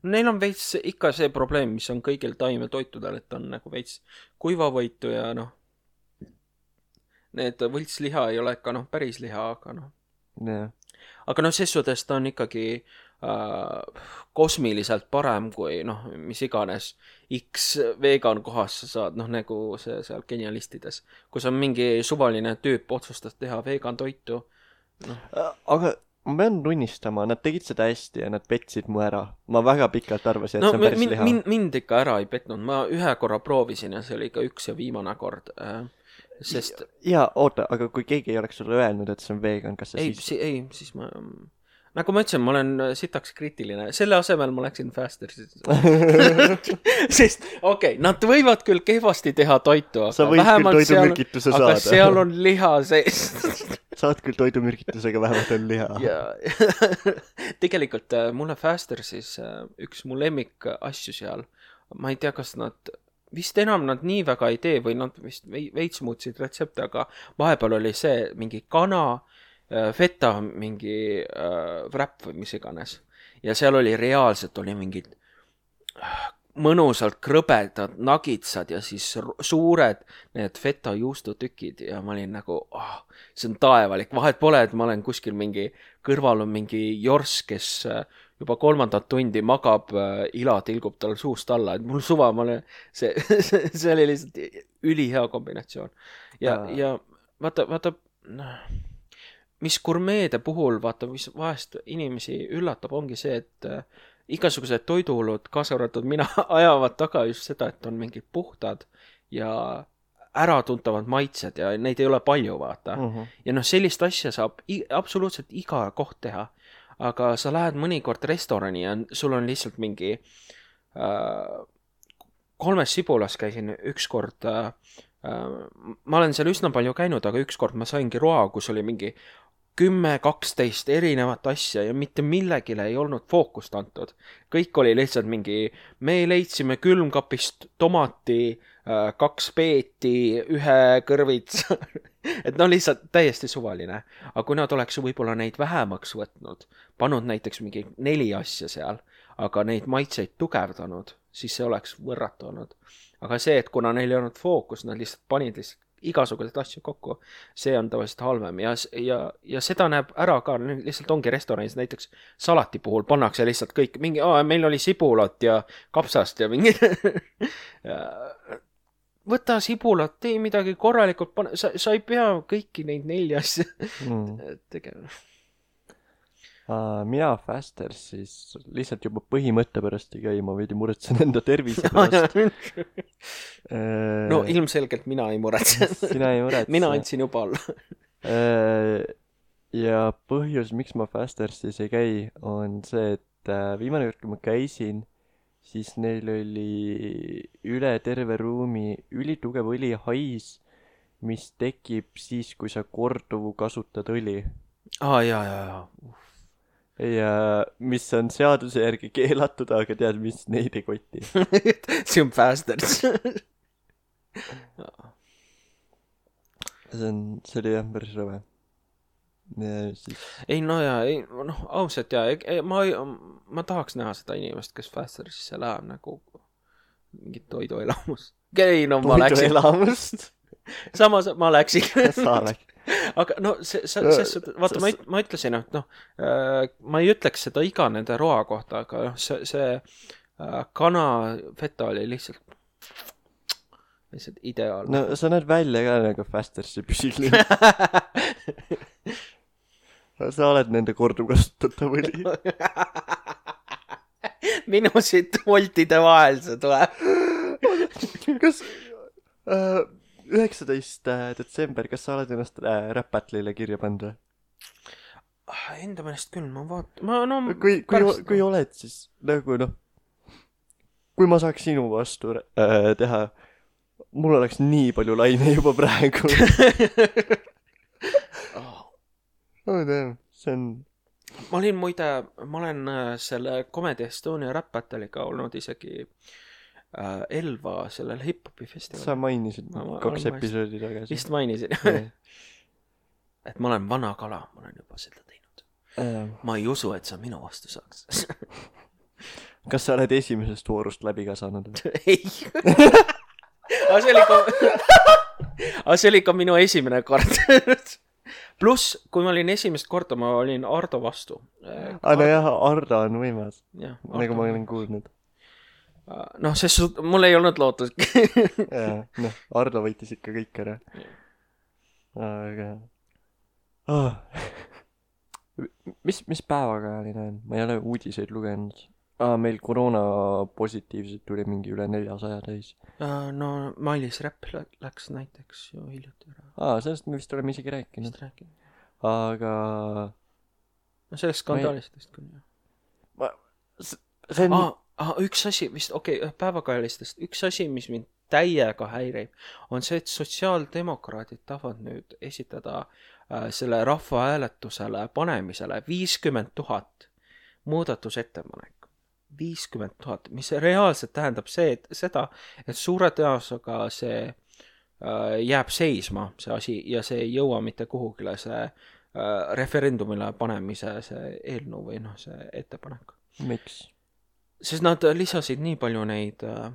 neil on veits ikka see probleem, mis on kõigil taimetoitudel, et on nagu veits kuivavõitu ja noh, need võltsliha ei ole ikka noh, päris liha, aga noh yeah. aga noh, ses suhtes ta on ikkagi uh, kosmiliselt parem kui noh, mis iganes X vegan kohas sa saad, noh nagu see seal Genialistides, kus on mingi suvaline tüüp otsustas teha vegan toitu no.. aga ma pean tunnistama, nad tegid seda hästi ja nad petsid mu ära. Ma väga pikalt arvasin, et no, see on päris min, liha. Mind, mind ikka ära ei petnud, ma ühe korra proovisin ja see oli ikka üks ja viimane kord, sest ja oota, aga kui keegi ei oleks sulle öelnud, et see on vegan, kas sa ei, siis si ei, siis ma nagu ma ütlesin, ma olen sitaks kriitiline. Selle asemel ma läksin Fastersi. Sest, okei, okay, nad võivad küll kehvasti teha toitu, sa võid küll toidumürgituse saada. Aga seal on liha sees. Saad küll toidumürgitusega, vähemalt on liha. Ja, tegelikult mulle Fastersis üks mu lemmik asju seal, ma ei tea, kas nad vist enam nad nii väga ei tee või nad vist veits muutsid retsepte, aga vahepeal oli see mingi kana feta mingi äh, wrap või mis iganes. Ja seal oli reaalselt oli mingid mõnusalt krõbedad nagitsad ja siis suured need feta juustutükid ja ma olin nagu, oh, see on taevalik. Vahet pole, et ma olen kuskil mingi, kõrval on mingi jors, kes juba kolmandat tundi magab, ila tilgub tal suust alla. Et mul suva, ma olen, see, see oli lihtsalt ülihea kombinatsioon. Ja, ja. ja vaata, vaata, noh, mis gurmeede puhul, vaata, mis vahest inimesi üllatab, ongi see, et äh, igasugused toiduolud, kaasa arvatud mina, ajavad taga just seda, et on mingid puhtad ja äratuntavad maitsed ja neid ei ole palju, vaata. Uh-huh. Ja noh, sellist asja saab i- absoluutselt iga koht teha, aga sa lähed mõnikord restorani ja sul on lihtsalt mingi äh, kolmes Sibulas käisin ükskord äh, äh, ma olen seal üsna palju käinud, aga ükskord ma saingi roa, kus oli mingi kümme, kaksteist erinevat asja ja mitte millegile ei olnud fookust antud. Kõik oli lihtsalt mingi, me leidsime külmkapist tomati, kaks peeti, ühe kõrvits. Et no lihtsalt täiesti suvaline. Aga kui nad oleks võib-olla neid vähemaks võtnud, pannud näiteks mingi neli asja seal, aga neid maitseid tugevdanud, siis see oleks võrratu olnud. Aga see, et kuna neil ei olnud fookus, nad lihtsalt panid lihtsalt igasugused asju kokku, see on tavaliselt halvem ja, ja, ja seda näeb ära ka, lihtsalt ongi restoranis näiteks salati puhul pannakse lihtsalt kõik, mingi, aa, meil oli sibulat ja kapsast ja mingi võta sibulat, tee midagi korralikult, pane, sa, sa ei pea kõiki neid nelja asja mm. tegema. Uh, mina Fasters siis lihtsalt juba põhimõtte pärast ei käi, ma veidi muretsen enda tervise pärast. uh, no ilmselgelt mina ei muretse. Sina ei muretse. Mina andsin juba alla. uh, ja põhjus, miks ma Fastersis ei käi, on see, et uh, viimane kord, kui ma käisin, siis neil oli üle terve ruumi ülitugev õlihais, mis tekib siis, kui sa korduvu kasutad õli. Aa, ah, jaa, jaa, jaa. Ja mis on seaduse järgi keelatud, aga tead, mis neid ei koti. See on Fasters. see on, see oli jah päris rõve. Siis... ei no jaa, ei, noh, ausalt jaa, ma, ma tahaks näha seda inimest, kes Fastersisse läheb nagu mingit toiduelamust. Ei, no ma läksin. Toiduelamust? samas ma läksin. sa läksid. Aga no see, see, see, vaata, ma, ma ütlesin, et noh, ma ei ütleks seda iga nende roa kohta, aga noh, see, see kana feta oli lihtsalt, lihtsalt ideaalne. No sa näed välja ka nagu Fastersi püsil. Sa oled nende korduvkasutatav õli. Minu siit voltide vahel see tuleb. Kas... Uh... üheksateist detsember, kas sa oled ennast Rap-Battle'ile kirja pannud? Enda meelest küll, ma vaat-... Ma, no, kui, kui, pärast... kui oled, siis nagu noh, kui ma saaks sinu vastu äh, teha, mul oleks nii palju laine juba praegu. oh, damn, see on... Ma olin muide, ma olen selle Comedy Estonia Rap-Battle'iga olnud isegi... Elva sellel hip-hopi festivalil. Sa mainisid ma, kaks episoodi tagasi. Vist mainisin. et ma olen vana kala, ma olen juba seda teinud. Ähm. Ma ei usu, et sa minu vastu saaks. Kas sa oled esimesest voorust läbi ka saanud? ei. aga see oli ka... aga see oli ka minu esimene kord. Pluss, kui ma olin esimest korda, ma olin Ardo vastu. aga no jah, Ardo on võimas. Ja, nagu ma olen kuulnud. noh, sest mul ei olnud lootust. jaa, noh, Ardo võitis ikka kõik ära. aga oh. mis, mis päevakajaline on? Ma ei ole uudiseid lugenud. Ah, meil koroona positiivselt tuli mingi üle neljasaja täis. no Mailis Räpp läks näiteks ju hiljuti ära. Aa, sellest me vist oleme isegi rääkinud. aga no sellest skandaalistest küll, jah. ma... see on ah, ah, üks asi, vist, okei, okay, päevakajalistest, üks asi, mis mind täiega häirib, on see, et sotsiaaldemokraadid tahavad nüüd esitada äh, selle rahvahääletusele panemisele viiskümmend tuhat muudatusettepanek. viiskümmend tuhat, mis reaalselt tähendab see, et seda, et suure tõenäosusega see äh, jääb seisma, see asi, ja see ei jõua mitte kuhugile see äh, referendumile panemise see eelnõu või noh, see ettepanek. Miks? Sest nad lisasid nii palju neid äh,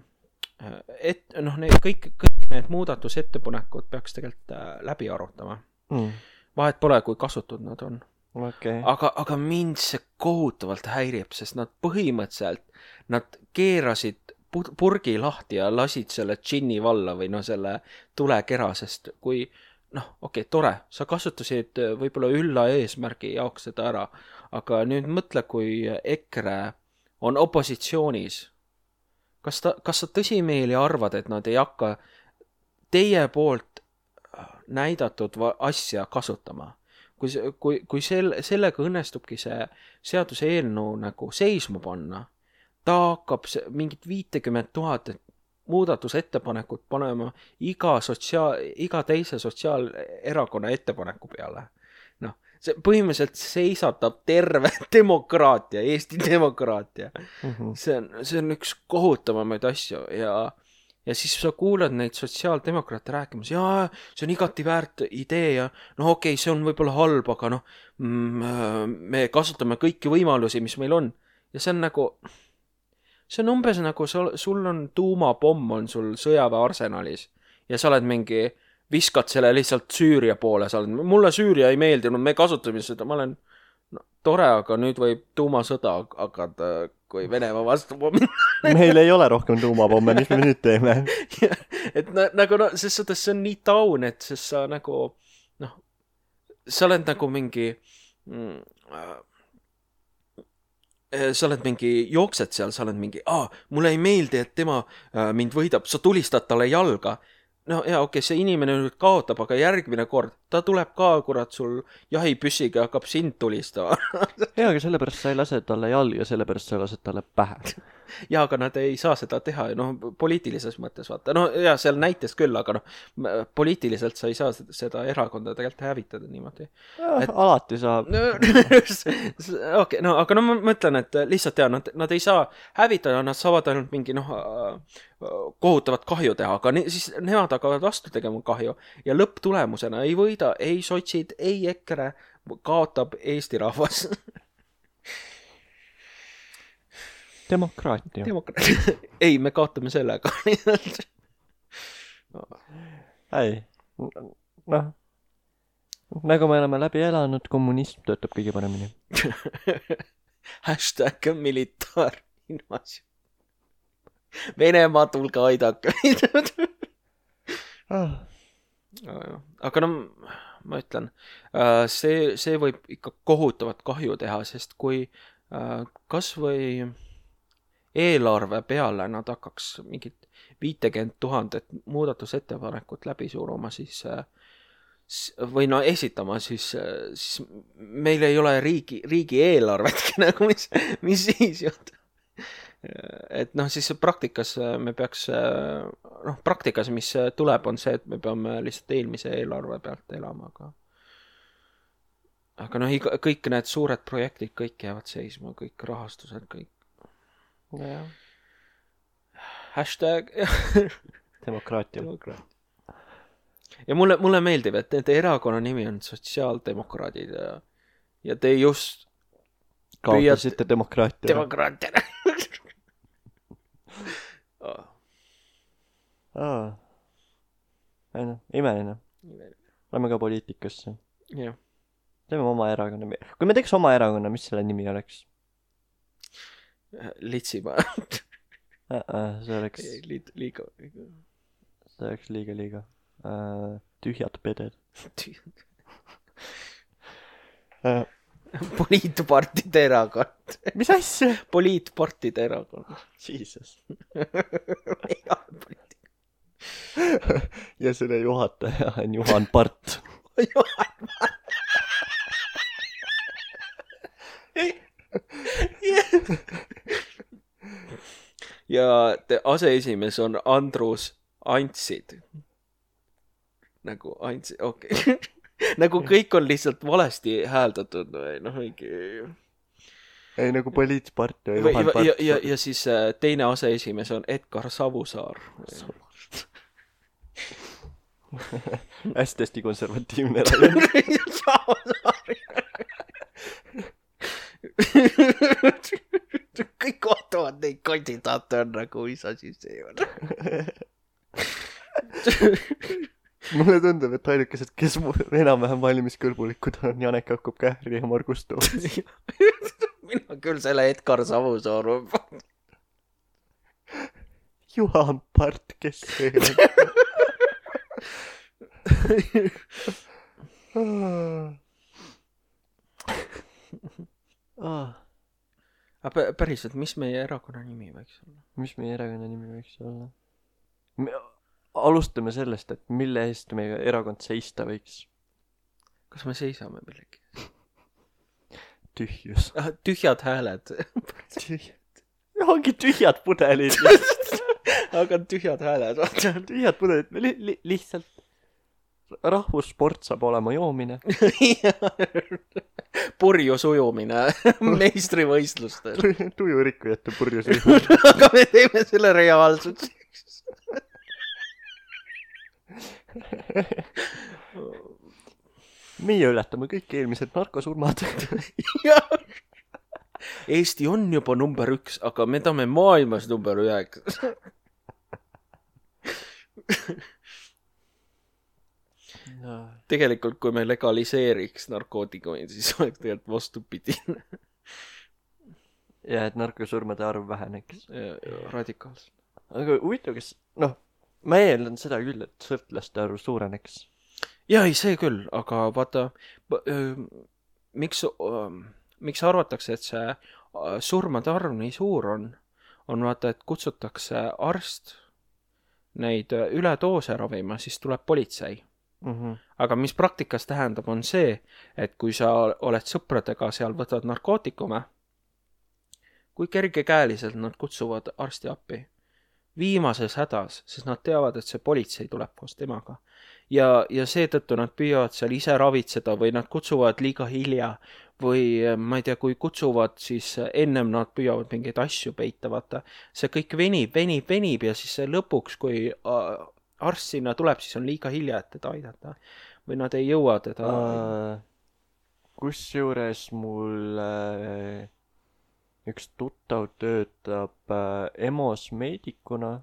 et noh, need kõik, kõik need muudatusettepanekud peaks tegelikult äh, läbi arutama. Mm. Vahet pole, kui kasutud nad on. Okay. Aga, aga mind see kohutavalt häirib, sest nad põhimõtteliselt, nad keerasid purgi lahti ja lasid selle džinni valla või no selle tulekera, sest kui, noh, okei, okay, tore, sa kasutasid võib-olla ülla eesmärgi jaoks seda ära, aga nüüd mõtle, kui EKRE on opositsioonis, kas ta, kas sa tõsimeeli arvad, et nad ei hakka teie poolt näidatud asja kasutama? Kui, kui, kui sel, sellega õnnestubki see seaduse eelnõu nagu seisma panna, ta hakkab mingit viitekümmet tuhat muudatusettepanekut panema iga, sotsiaal, iga teise sotsiaalerakonna ettepaneku peale. Noh, see põhimõtteliselt seisatab terve demokraatia, Eesti demokraatia. Mm-hmm. See on, see on üks kohutavamaid asju ja Ja siis sa kuuled neid sotsiaaldemokraate rääkimas, jaa, see on igati väärt idee ja no okei, okay, see on võib-olla halb, aga noh, me kasutame kõiki võimalusi, mis meil on. Ja see on nagu, see on umbes nagu sul, sul on tuumapomm on sul sõjaväe arsenalis ja sa oled mingi, viskad selle lihtsalt Süüria poole, sa oled, mulle Süüria ei meeldinud, me kasutame seda, ma olen no, tore, aga nüüd võib tuumasõda hakata, kui Venemaa vastu pommi. Meil ei ole rohkem tuumapomme, mis me nüüd teeme. et na, nagu no, sest seda, see on nii taun, et sest sa nagu, noh, sa oled nagu mingi, mm, äh, sa oled mingi, jooksed seal, sa oled mingi, aa, mulle ei meeldi, et tema äh, mind võidab, sa tulistad talle jalga. No jaa, okei, okay, see inimene nüüd kaotab, aga järgmine kord, ta tuleb ka, kurat, sul jahipüssiga hakkab sind tulistama. jaa, aga sellepärast sa ei lase talle jalga, sellepärast sa lased talle pähe. jaa, aga nad ei saa seda teha, noh, poliitilises mõttes vaata. No jaa, seal näites küll, aga noh, poliitiliselt sa ei saa seda erakonda tegelikult hävitada niimoodi. Et... alati saab. okei, okay, no aga no ma mõtlen, et lihtsalt jaa, nad, nad ei saa hävitada, nad saavad ainult mingi, noh, kohutavat kahju teha, aga ne, siis nemad hakkavad vastu tegema kahju ja lõpptulemusena ei võida ei sotsid, ei EKRE, kaotab Eesti rahvas. Demokraatia. Demokraatia. ei, me kaotame sellega. ei, noh, nagu me oleme läbi elanud, kommunism töötab kõige paremini. Hashtag militaarinvasioon. Venemaa, tulge aidake. ah. Aga no ma ütlen, see, see võib ikka kohutavat kahju teha, sest kui kas või eelarve peale nad hakkaks mingit viitekümmet tuhandet muudatusettepanekut läbi suruma, siis või no esitama, siis, siis meil ei ole riigi, riigi eelarvetki nagu, mis, mis siis juhtu. Et noh, siis praktikas me peaks, noh, praktikas, mis tuleb, on see, et me peame lihtsalt eelmise eelarve pealt elama, aga aga noh, kõik need suured projektid, kõik jäävad seisma, kõik rahastused, kõik. Ja. Hashtag demokraatia. demokraatia. Ja mulle, mulle meeldib, et nende erakonna nimi on sotsiaaldemokraadid ja, ja te just kaotasite püüad... demokraatia. Demokraatia. oh. Aa. Ei noh, imeline. Lähme ka poliitikasse. Jah. Teeme oma erakonna. Kui me teeks oma erakonna, mis selle nimi oleks? Litsimaa. uh, see oleks liiga, liiga. see oleks liiga liiga uh, tühjad peded. Tühjad. uh, poliitpartide erakond. Mis asja? Poliitpartide erakond. Jesus. Ja selle juhataja on Juhan Part. Juhan Part. Ja te aseesimees on Andrus Antsid. Nagu Antsid, okei. Okay. Nagu kõik on lihtsalt valesti hääldatud või noh, mingi... Ei, nagu poliitpart ja või, Juhan Part. Ja, ja, ja siis teine aseesimees on Edgar Savusaar. hästi-hästi konservatiivne raion. Savusaar. Kõik ootavad neid kandidaate on nagu, mis asi see on. Mulle tundub, et ainukesed, kes enam-vähem valimiskõlbulikud on Janek Akub Kähri ja Margus Toots. Mina küll selle Edgar Savusaar. Juhan Part, kes see on? Ah. Aga päriselt, mis meie erakonna nimi võiks olla? Mis meie erakonna nimi võiks olla? Me alustame sellest, et mille eest meie erakond seista võiks. Kas me seisame millegi? Tühjus. Ah, tühjad hääled. Tühjad. Ongi tühjad pudelid. Aga tühjad hääled. Tühjad pudelid. Li li lihtsalt rahvussport saab olema joomine. Purjus ujumine meistrivõistlustel. Tujurikkujate purjus ujumine. Aga me teeme selle reaalselt. Meie ületame kõik eelmised narkosurmad. Eesti on juba number üks, aga me tahame maailmas number üheks. No. Tegelikult, kui me legaliseeriks narkootikumid, siis oleks tegelikult vastupidine. Ja, et narkosurmade arv väheneks. Ja, ja, radikaalselt. Aga huvitav, kes, noh, ma eeldan seda küll, et sõltlaste arv suureneks. Ja, ei, see küll, aga vaata, miks, miks arvatakse, et see surmade arv nii suur on, on vaata, et kutsutakse arst neid üledoose ravima, siis tuleb politsei. Mm-hmm. Aga mis praktikas tähendab, on see, et kui sa oled sõpradega seal, võtad narkootikume, kui kergekäeliselt nad kutsuvad arsti appi. Viimases hädas, sest nad teavad, et see politsei tuleb koos temaga. Ja, ja seetõttu nad püüavad seal ise ravitseda või nad kutsuvad liiga hilja või ma ei tea, kui kutsuvad, siis ennem nad püüavad mingeid asju peita, vaata. See kõik venib, venib, venib ja siis lõpuks, kui arst sinna tuleb, siis on liiga hilja, et teda aidata. Või nad ei jõua teda. Uh, kus juures mul uh, üks tuttav töötab uh, E M O-s meedikuna.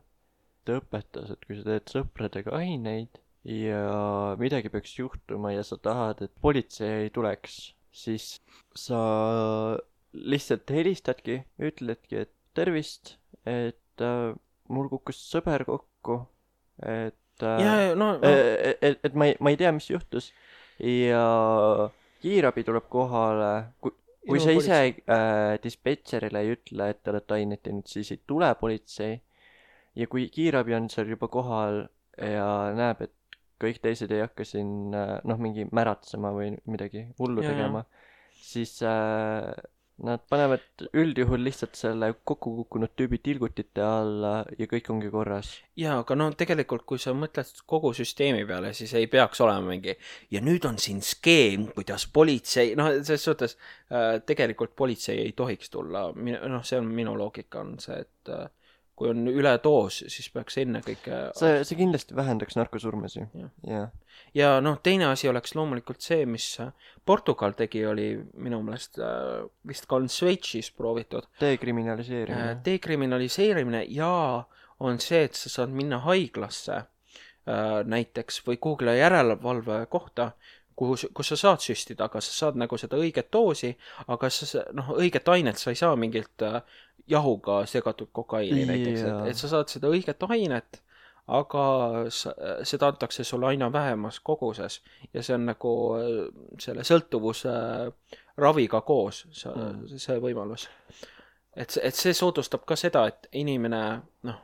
Ta õpetas, et kui sa teed sõpradega aineid, ja midagi peaks juhtuma ja sa tahad, et politsei ei tuleks, siis sa lihtsalt helistadki, ütledki, et tervist, et äh, mul kukkus sõber kokku, et äh, ja no, no. et, et, et ma ei, ma ei tea, mis juhtus ja kiirabi tuleb kohale, kui, kui sa ise äh, dispetšerile ei ütle, et te olete ainet teinud, siis ei tule politsei ja kui kiirabi on seal juba kohal ja näeb, et kõik teised ei hakka siin noh, mingi märatsema või midagi hullu Ja, tegema, siis äh, nad panevad üldjuhul lihtsalt selle kokku kukkunud tüübi tilgutite alla ja kõik ongi korras. ja, aga no tegelikult, kui sa mõtled kogu süsteemi peale, siis ei peaks olema mingi ja nüüd on siin skeem, kuidas politsei, noh, selles suhtes äh, tegelikult politsei ei tohiks tulla, noh, see on minu loogika on see, et äh, kui on üledoos, siis peaks enne kõike see, see kindlasti vähendaks narkosurmasi. Ja. Ja. ja noh, teine asi oleks loomulikult see, mis Portugal tegi, oli minu meelest äh, vist ka on Šveitsis proovitud. Dekriminaliseerimine. Dekriminaliseerimine ja on see, et sa saad minna haiglasse äh, näiteks või Google'i järelevalve kohta, kuhu, kus sa saad süstida, aga sa saad nagu seda õiget doosi, aga sa, noh, õiget ainet sa ei saa mingilt äh, jahuga segatud kokaiini Yeah. näiteks, et, et sa saad seda õiget ainet, aga sa, seda antakse sulle aina vähemas koguses ja see on nagu selle sõltuvuse raviga koos see, Mm. see võimalus. Et, et see soodustab ka seda, et inimene, noh,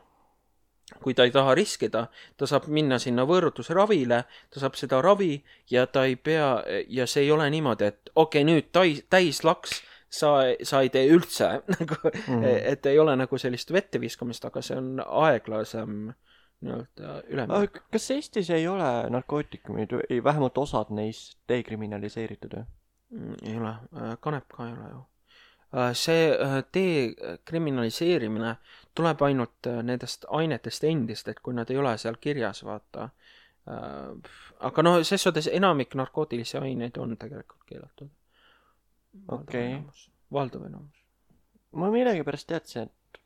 kui ta ei taha riskida, ta saab minna sinna võõrutusravile, ta saab seda ravi ja ta ei pea, ja see ei ole niimoodi, et okei, nüüd täis, täis laks, sa, sa ei tee üldse, nagu, Mhm. et ei ole nagu sellist vette viskamist, aga see on aeglasem nii-öelda üleminek. Aga kas Eestis ei ole narkootikumid või vähemalt osad neist dekriminaliseeritud või? Mm, ei ole, kanep ka ei ole ju. See dekriminaliseerimine tuleb ainult nendest ainetest endist, et kui nad ei ole seal kirjas, vaata. Aga noh, ses suhtes enamik narkootilisi aineid on tegelikult keelatud. Okei. Valdav enamus. Ma millegipärast teadsin, et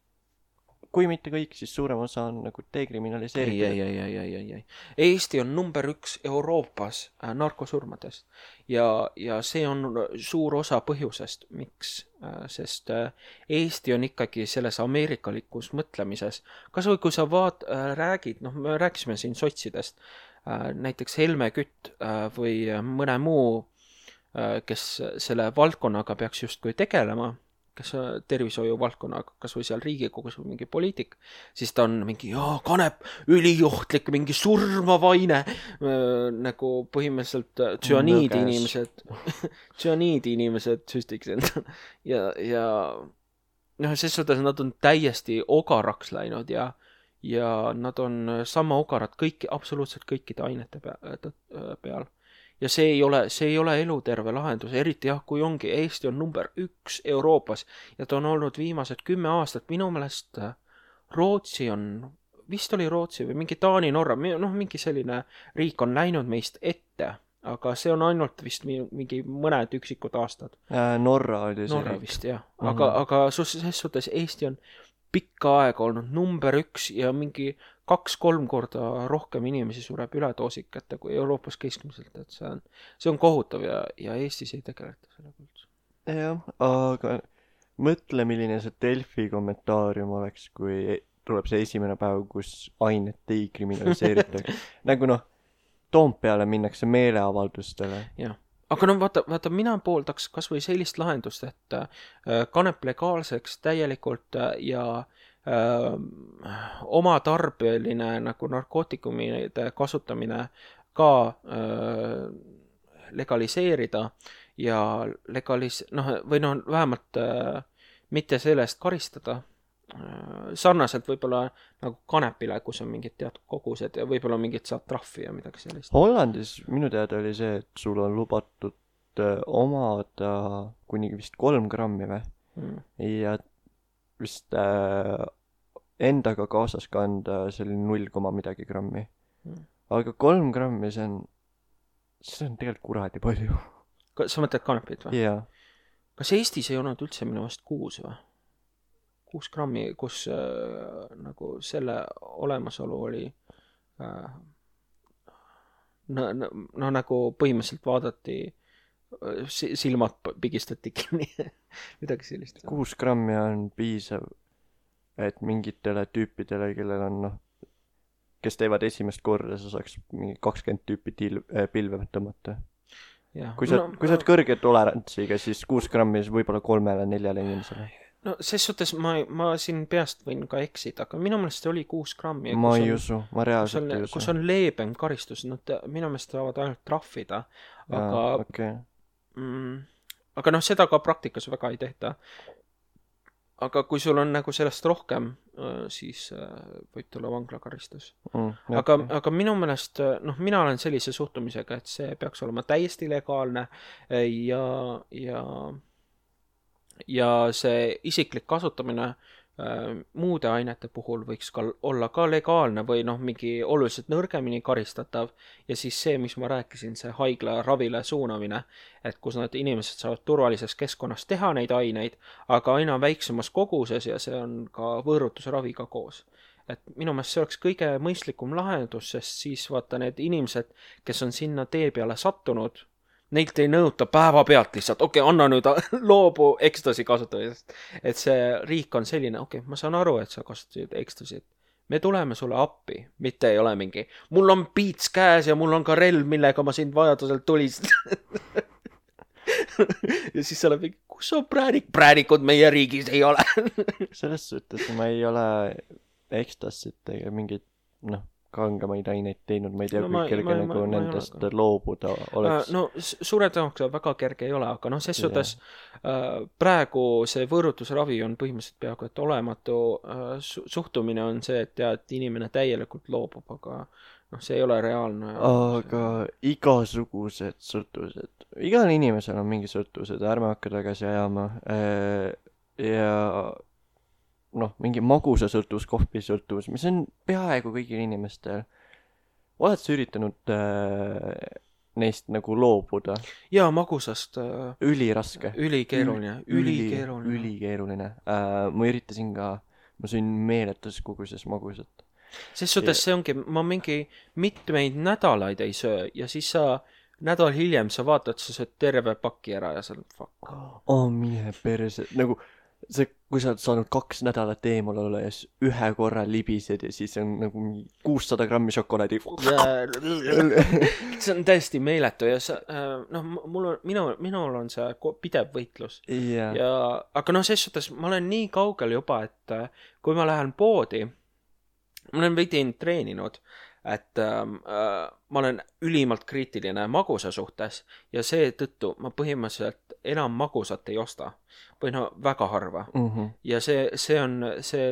kui mitte kõik, siis suurem osa on nagu ei, dekriminaliseeritud. ei, ei, ei, ei, ei, ei. Eesti on number üks Euroopas äh, narkosurmadest ja, ja see on suur osa põhjusest, miks, äh, sest äh, Eesti on ikkagi selles ameerikalikus mõtlemises. Kas või kui sa vaat, äh, räägid, noh, me rääkisime siin sotsidest, äh, näiteks Helme Kütt äh, või mõne muu, äh, kes selle valdkonnaga peaks justkui tegelema, kes tervishoiu valdkonnaga, kas või seal Riigikogus või mingi poliitik, siis ta on mingi, jaa, kanep, üliohtlik, mingi surmav aine, nagu põhimõtteliselt tsüaniidi inimesed, tsüaniidi inimesed süstiks enda. Ja, ja noh, ses suhtes nad on täiesti ogaraks läinud ja, ja nad on sama ogarad kõiki, absoluutselt kõikide ainete peal. Ja see ei ole, see ei ole eluterve lahendus, eriti jah, kui ongi, Eesti on number üks Euroopas ja ta on olnud viimased kümme aastat, minu meelest Rootsi on, vist oli Rootsi või mingi Taani, Norra, noh, mingi selline riik on läinud meist ette, aga see on ainult vist mingi mõned üksikud aastad. Äh, Norra oli see Norra riik. vist, jah. Aga, mm-hmm. aga ses suhtes Eesti on pikka aega olnud number üks ja mingi kaks-kolm korda rohkem inimesi sureb üledoosikate kui Euroopas keskmiselt, et see on, see on kohutav ja, ja Eestis ei tegeleta sellega üldse. Jah, aga mõtle, milline see Delfi kommentaarium oleks, kui tuleb see esimene päev, kus ainet ei kriminaliseeritakse. Nagu noh, Toompeale minnakse meeleavaldustele. Jah. Aga no vaata, vaata, mina pooldaks kas või sellist lahendust, et äh, kanep legaalseks täielikult ja äh, oma tarbeline nagu narkootikumide kasutamine ka äh, legaliseerida ja legalis-, noh, või noh, vähemalt äh, mitte sellest karistada. Sarnaselt võib-olla nagu kanepile, kus on mingid teatud kogused ja võib-olla mingid saad trahvi ja midagi sellist. Hollandis minu teada oli see, et sul on lubatud omada kuni vist kolm grammi või mm. ja vist äh, endaga kaasas kanda see oli null koma midagi grammi mm. aga kolm grammi see on see on tegelikult kuradi palju. Sa mõtled kanepit või? Jaa. Kas Eestis ei olnud üldse minu vast kuus või? kuus grammi, kus äh, nagu selle olemasolu oli äh, no, no, no nagu põhimõtteliselt vaadati, silmad pigistati kinni, midagi sellist. kuus grammi on piisav, et mingitele tüüpidele, kellel on noh, kes teevad esimest korda, sa saaks mingi kakskümmend tüüpi til- äh, pilve tõmmata. kui sa, no, kui sa oled kõrge tolerantsiga, siis kuus grammi võib-olla kolmele, neljale inimesele. No ses suhtes ma, ma siin peast võin ka eksida, aga minu meelest oli kuus grammi. Ma ei usu, ma reaalselt ei usu. Kus on leebem karistus, nad minu meelest saavad ainult trahvida, aga Jaa, okay. mm, aga noh, seda ka praktikas väga ei tehta. Aga kui sul on nagu sellest rohkem, siis võib tulla vanglakaristus. Mm, okay. aga, aga minu meelest, noh, mina olen sellise suhtumisega, et see peaks olema täiesti legaalne ja, ja ja see isiklik kasutamine äh, muude ainete puhul võiks ka olla ka legaalne või noh, mingi oluliselt nõrgemini karistatav ja siis see, mis ma rääkisin, see haigla ravile suunamine, et kus nad inimesed saavad turvalises keskkonnas teha neid aineid, aga aina väiksemas koguses ja see on ka võõrutusraviga koos. Et minu meelest see oleks kõige mõistlikum lahendus, sest siis vaata need inimesed, kes on sinna tee peale sattunud, neilt ei nõuta päeva pealt lihtsalt, okei, okay, anna nüüd loobu ekstasi kasutamisest. Et see riik on selline, okei, okay, ma saan aru, et sa kasutasid ekstasit. Me tuleme sulle appi, mitte ei ole mingi, mul on piits käes ja mul on ka relv, millega ma sind vajadusel tulist. ja siis sa oled mingi, kus on präänik? Präänikud meie riigis ei ole. Selles suhtes ma ei ole ekstasit ega mingit, noh, kangemaid aineid teinud, ma ei tea, no, kui kerge ma, nagu ma, nendest ma loobuda oleks. No suure tõenäoliselt väga kerge ei ole, aga noh, ses suhtes äh, praegu see võõrutusravi on põhimõtteliselt peaaegu et olematu äh, su- suhtumine on see, et, ja, et inimene täielikult loobub, aga noh, see ei ole reaalne. Aga see... igasugused sõltuvused, igal inimesel on mingi sõltuvused, ärme hakka tagasi ajama äh, ja noh, mingi magusa sõltuvus, kohvi sõltuvus, mis on peaaegu kõigil inimestel. Oled sa üritanud äh, neist nagu loobuda? Jaa, magusast. Äh, üliraske. Ülikeeruline. Ülikeeruline. Ülikeeruline. Äh, ma üritasin ka, ma sõin meeletus koguses magusat. Ses suhtes see ongi, ma mingi mitmeid nädalaid ei söö ja siis sa nädal hiljem sa vaatad, sa sööd terve paki ära ja sa oled fuck. Oh, mine perse. Nagu see, kui sa oled saanud kaks nädalat eemal olla ja siis ühe korra libised ja siis on nagu kuussada grammi šokolaadi. see on täiesti meeletu ja sa, noh, mul on, minu, minul on see pidev võitlus. Yeah. Ja, aga noh, ses suhtes ma olen nii kaugel juba, et kui ma lähen poodi, ma olen veidi treeninud, et äh, ma olen ülimalt kriitiline magusa suhtes ja seetõttu ma põhimõtteliselt enam magusat ei osta. Või no väga harva. Mm-hmm. Ja see, see on see,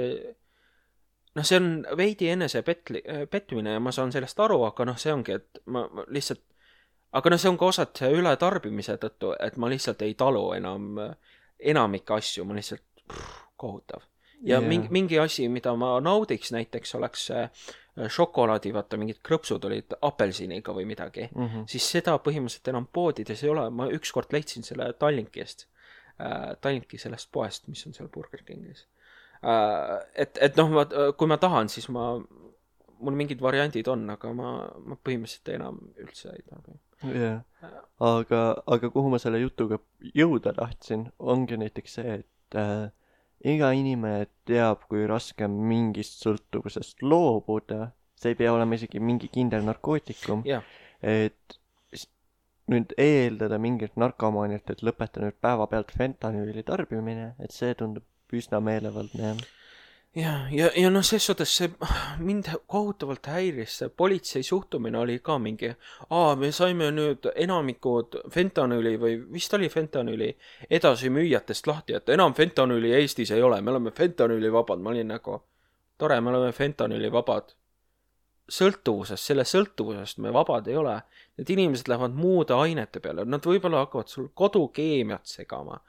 noh, see on veidi enese petli, petmine ja ma saan sellest aru, aga noh, see ongi, et ma, ma lihtsalt, aga noh, see on ka osad see ületarbimise tõttu, et ma lihtsalt ei talu enam enamike asju, ma lihtsalt pff, kohutav. Ja yeah. mingi, mingi asi, mida ma naudiks näiteks, oleks šokolaadi, vaata, mingid krõpsud olid apelsiniga või midagi, mm-hmm. siis seda põhimõtteliselt enam poodides ei ole. Ma ükskord leidsin selle Tallinkist, äh, Tallinki sellest poest, mis on seal Burger Kingis. Äh, et, et noh, ma, kui ma tahan, siis ma, mul mingid variandid on, aga ma, ma põhimõtteliselt enam üldse ei taha. Yeah. Aga, aga kuhu ma selle jutuga jõuda tahtsin, ongi näiteks see, et äh, iga inimene teab, kui raske mingist sõltuvusest loobuda. See ei pea olema isegi mingi kindel narkootikum. Yeah. Et nüüd eeldada mingit narkomaaniat, et lõpeta nüüd päeva pealt fentanüüli tarbimine, et see tundub üsna meelevaldne. Ja, ja, ja noh, ses suhtes see mind kohutavalt häiris, see politsei suhtumine oli ka mingi, aa, me saime nüüd enamikud fentanüüli või vist oli fentanüüli edasimüüjatest lahti, et enam fentanüüli Eestis ei ole, me oleme fentanüüli vabad. Ma olin nagu, tore, me oleme fentanüüli vabad. Sõltuvusest, selle sõltuvusest me vabad ei ole. Need inimesed lähevad muude ainete peale, nad võib-olla hakkavad sul kodukeemiat segama.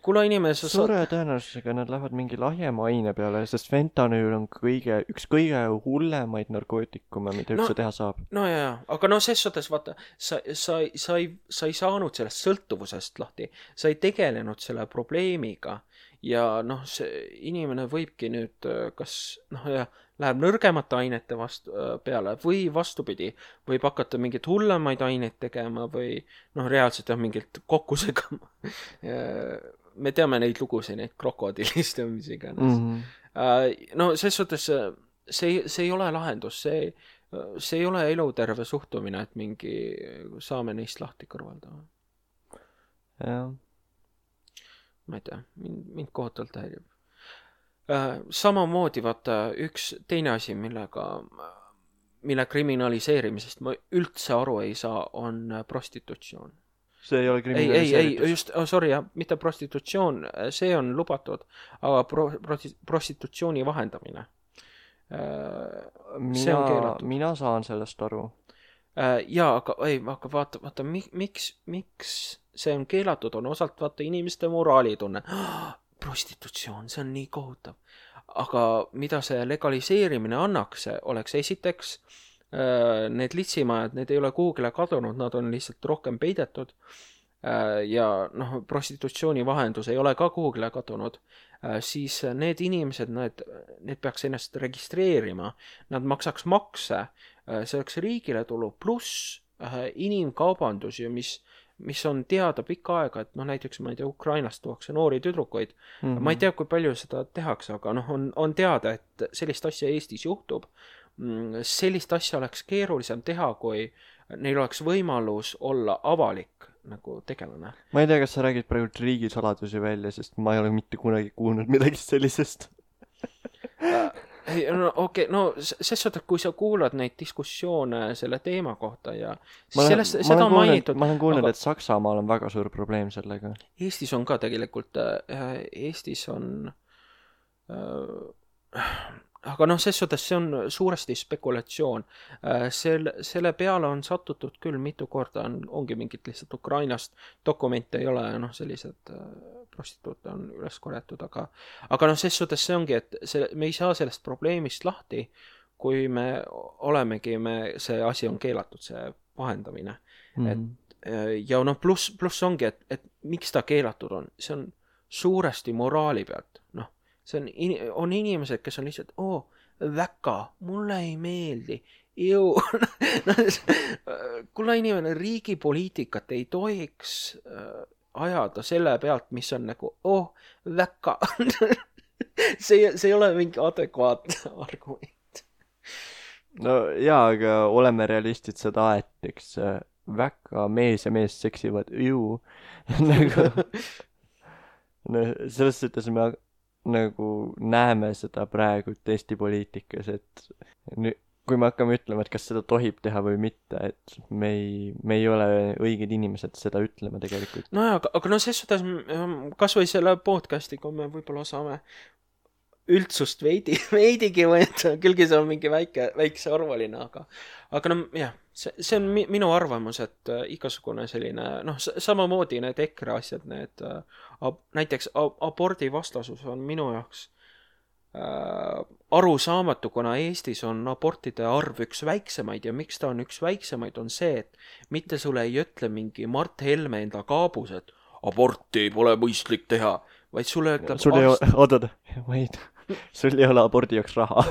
Kule inimese suure saad... tõenäosusega nad lähevad mingi lahjema aine peale, sest fentanüül on kõige, üks kõige hullemaid narkootikume, mida no, üldse teha saab. No jaa, aga no ses suhtes, vaata, sa, sa, sa, ei, sa ei saanud sellest sõltuvusest lahti, sa ei tegelenud selle probleemiga ja noh, see inimene võibki nüüd kas, noh ja läheb nõrgemate ainete vastu peale või vastupidi, võib hakata mingeid hullemaid aineid tegema või noh, reaalselt jah, mingilt kokku segama. Me teame neid lugusid, neid krokodillist ja mis iganes. Mm -hmm. No ses suhtes see, see ei ole lahendus, see, see ei ole eluterve suhtumine, et mingi saame neist lahti kõrvaldama. Jah. Ma ei tea, mind, mind kohutavalt häirib. Samamoodi vaata üks teine asi, millega, mille kriminaliseerimisest ma üldse aru ei saa, on prostitutsioon. See ei ole kriminaliseeritus. Ei, ei, just, oh, sorry, jah, mitte prostitutsioon, see on lubatud, aga pro, pro, prostitutsiooni vahendamine. See mina, on keelatud. Mina saan sellest aru. Jaa, aga, ei, aga vaata, vaata, miks, miks see on keelatud, on osalt vaata inimeste moraalitunne. Prostitutsioon, see on nii kohutav. Aga mida see legaliseerimine annaks, oleks esiteks need litsimajad, need ei ole kuhugile kadunud, nad on lihtsalt rohkem peidetud ja noh, prostitutsiooni vahendus ei ole ka kuhugile kadunud, siis need inimesed, need, need peaks ennast registreerima, nad maksaks makse, see oleks riigile tulu, pluss inimkaubandus ja mis mis on teada pikka aega, et noh, näiteks ma ei tea, Ukrainast tuuakse noori tüdrukoid. Mm-hmm. Ma ei tea, kui palju seda tehakse, aga noh, on, on teada, et sellist asja Eestis juhtub. Sellist asja oleks keerulisem teha, kui neil oleks võimalus olla avalik nagu tegelane. Ma ei tea, kas sa räägid praegu riigisaladusi välja, sest ma ei ole mitte kunagi kuulnud midagi sellisest. Ei, no okei, okay, no ses suhtes, kui sa kuulad neid diskussioone selle teema kohta ja ma sellest, olen, seda on kuulnud, mainitud. Ma olen kuulnud, aga... et Saksamaal on väga suur probleem sellega. Eestis on ka tegelikult, Eestis on äh, aga noh, ses suhtes see on suuresti spekulatsioon. Sel, selle peale on satutud küll mitu korda, on, ongi mingit lihtsalt Ukrainast dokumente ei ole, noh, sellised prostituute on üles korjatud, aga, aga noh, ses suhtes see ongi, et see, me ei saa sellest probleemist lahti, kui me olemegi, me, see asi on keelatud, see vahendamine. Mm-hmm. Et, ja noh, pluss, pluss ongi, et, et miks ta keelatud on, see on suuresti moraali pealt, noh, see on, on inimesed, kes on lihtsalt, oo, väga, mulle ei meeldi, ju, kuule inimene, riigi poliitikat ei tohiks ajada selle pealt, mis on nagu, oh, väga, see, see ei ole mingi adekvaatne argument. No jaa, aga oleme realistid seda, et eks väga mees ja mees seksivad, ju, nagu, no selles suhtes me nagu näeme seda praegu Eesti poliitikas, et nüüd, kui me hakkame ütlema, et kas seda tohib teha või mitte, et me ei, me ei ole õiged inimesed seda ütlema tegelikult. No aga, aga no ses suhtes kas või selle podcastiga me võib-olla saame üldsust veidi, veidigi võtta, küllgi see on mingi väike, väikse arvaline, aga, aga no jah, see, see on mi, minu arvamus, et äh, igasugune selline, noh, samamoodi need EKRE asjad, need äh, ab, näiteks ab, abordi vastasus on minu jaoks äh, arusaamatu, kuna Eestis on abortide arv üks väiksemaid ja miks ta on üks väiksemaid, on see, et mitte sulle ei ütle mingi Mart Helme enda kaabus, et aborti pole mõistlik teha, vaid sulle ütleb sul ei ole, oodad, ma ei tea. Sul ei ole abordi jaoks raha.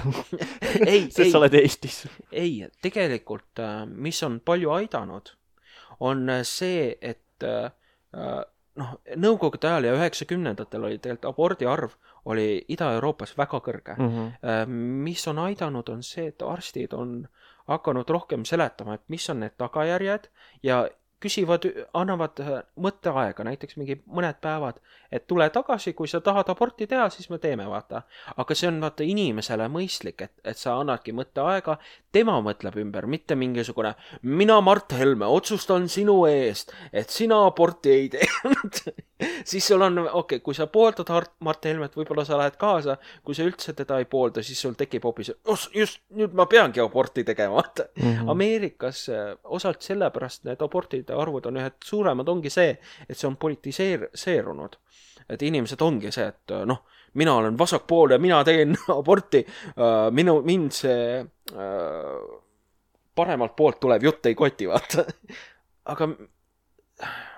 ei, sest sa oled Eestis. Ei, tegelikult, mis on palju aidanud, on see, et noh, nõukogude ajal ja üheksakümnendatel oli tegelikult abordi arv oli Ida-Euroopas väga kõrge. Mm-hmm. Mis on aidanud, on see, et arstid on hakanud rohkem seletama, et mis on need tagajärjed ja küsivad, annavad mõtteaega, näiteks mingi mõned päevad, et tule tagasi, kui sa tahad aborti teha, siis me teeme, vaata. Aga see on vaata inimesele mõistlik, et, et sa annadki mõtteaega, tema mõtleb ümber, mitte mingisugune, mina Mart Helme otsustan sinu eest, et sina aborti ei teinud. Siis sul on, okei, okay, kui sa pooldad Mart Helmet, võib-olla sa lähed kaasa, kui sa üldse teda ei poolda, siis sul tekib hoopis, just nüüd ma peangi aborti tegema. Mm-hmm. Ameerikas osalt sellepärast need abortid arvud on ühed suuremad, ongi see, et see on politiseerunud. Et inimesed ongi see, et noh, mina olen vasakpool ja mina teen aborti, minu, mind see paremalt poolt tulev jutt ei koti, vaata. Aga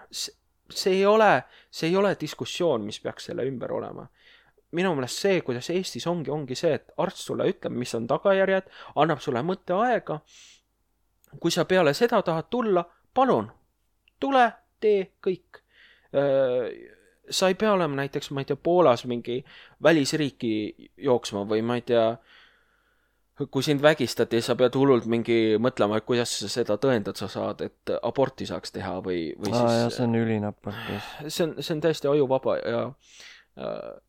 see, see ei ole, see ei ole diskussioon, mis peaks selle ümber olema. minu meelest see, kuidas Eestis ongi, ongi see, et arst sulle ütleb, mis on tagajärjed, annab sulle mõtteaega. Kui sa peale seda tahad tulla, palun, tule, tee kõik. Sa ei pea olema näiteks, ma ei tea, Poolas mingi välisriiki jooksma või ma ei tea, kui sind vägistati, sa pead hullult mingi mõtlema, et kuidas sa seda tõendad sa saad, et aborti saaks teha või, või Aa, siis... jah, see on ülinapart. See on, see on täiesti ajuvaba ja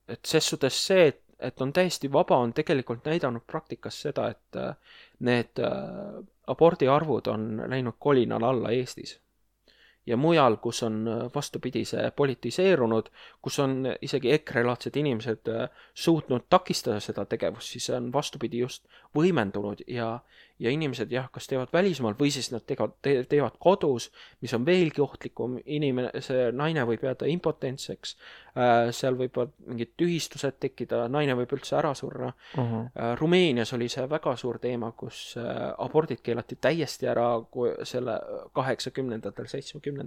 et ses suhtes see, et, et on täiesti vaba, on tegelikult näidanud praktikas seda, et need abordiarvud on läinud kolinal alla Eestis. Ja mujal, kus on vastupidi see politiseerunud, kus on isegi EKRE-laadsed inimesed suutnud takistada seda tegevust, siis on vastupidi just võimendunud ja, ja inimesed jah, kas teevad välismaal või siis nad teevad, teevad kodus, mis on veelgi ohtlikum. Inimene, see naine võib jääda impotentseks, seal võivad mingid tühistused tekkida, naine võib üldse ära surra. Uh-huh. Rumeenias oli see väga suur teema, kus abordid keelati täiesti ära selle kaheksakümnendatel, seitsmekümnendatel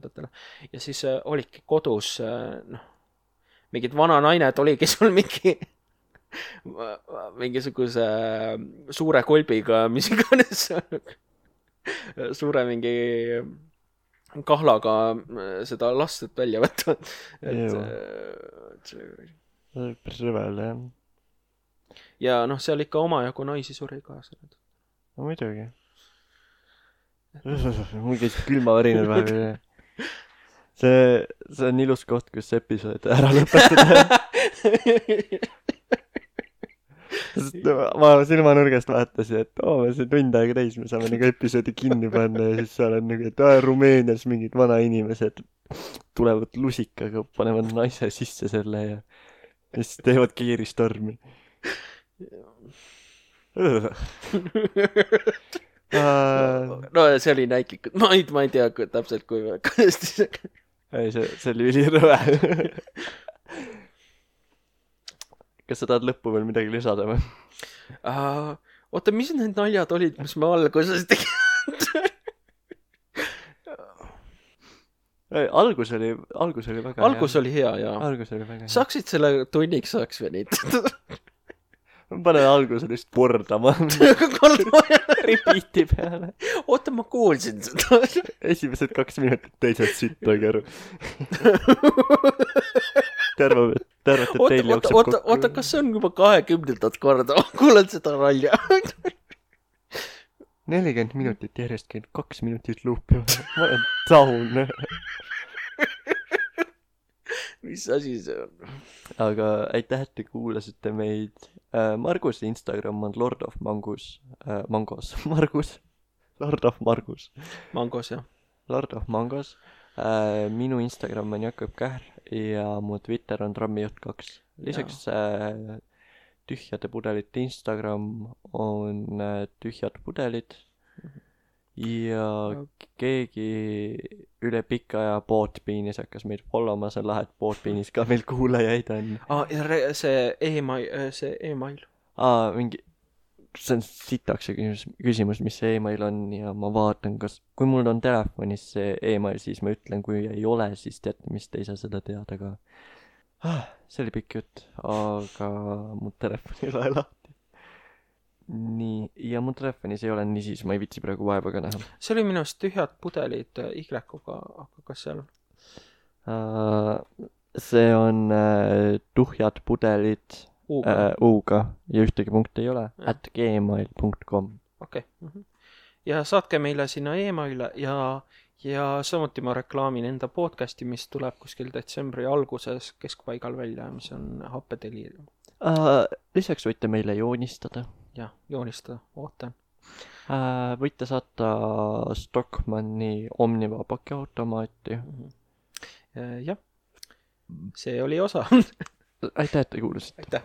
ja siis olidki kodus noh, mingid vana nained oligi sul mingi mingisuguse suure kolbiga, mis iganes suure mingi kahlaga seda lastet välja võtta. Et päris rõvel, jah. Ja noh, seal ikka omajagu naisi suri ka. No muidugi. Mul käis külmavärinad vahepeal. See, see on ilus koht, kus episood ära lõpetada. Ma silmanurgast vaatasin, et oo, see tund aega täis, me saame nagu episoodi kinni panna ja siis seal on nagu, et aa, Rumeenias mingid vana inimesed tulevad lusikaga, panevad naise sisse selle ja siis teevad kiiristormi. No see oli näiklikult, ma ei, ma ei tea kui, täpselt kui kõnesti ei, see, see oli ülirõve. Kas sa tahad lõppu veel midagi lisada või? Uh, oota, mis need naljad olid, mis me alguses tegid? Algus oli, algus oli väga algus hea. oli hea, jaa. Algus oli väga hea. Saaksid selle tunniks saaks venitada. Ma panen alguse lihtsalt kordama. Repeati peale. Oota, ma kuulsin seda. Esimesed kaks minutit teised sitt toigi aru. Terve, tervet, et teil jookseb kokku. Oota, oota, kas see on juba kahekümnendat korda? Kuulen seda ralja. nelikümmend minutit järjest käin kaks minutit luupi. Ma olen taun. Mis asi see on? Aga aitäh, et te kuulasite meid. Marguse Instagram on Lord of Mangus. Äh, Mangos. Margus. Lord of Margus. Mangos, jah. Lord of Mangos. Äh, minu Instagram on Jakob Kähr ja mu Twitter on Trammijuht kaks. Lisaks äh, tühjade pudelite Instagram on äh, tühjad pudelid ja keegi üle pika aja Bootbeanis hakkas meid followma, see on lahe, et Bootbeanis ka meil kuulajaid on. Ah, see e-mail, see e-mail. Aa, mingi, see on sitaks küsimus, küsimus, mis see e-mail on ja ma vaatan, kas, kui mul on telefonis see e-mail, siis ma ütlen, kui ei ole, siis teate, mis te ei saa seda teada, aga ah, see oli pikk jutt, aga mu telefon ei ole lahti. Nii, ja mu telefonis ei ole nii, siis ma ei vitsi praegu vaeva ka näha. See oli minust tühjad pudelid Y-ga, aga kas seal? Uh, see on uh, tuhjad pudelid U-ga, uh, U-ga ja ühtegi punkti ei ole, ja. at gmail dot com. Okei. Okay. Ja saatke meile sinna e-maile ja, ja samuti ma reklaamin enda podcasti, mis tuleb kuskil detsembri alguses keskpaigal välja, mis on Happedeliirium. Uh, lisaks võite meile joonistada. Jah, joonistada, ootan. Uh, võite saata Stockmanni Omniva pakiautomaati. Uh, jah, see oli osa. Aitäh, et te kuulasite. Aitäh.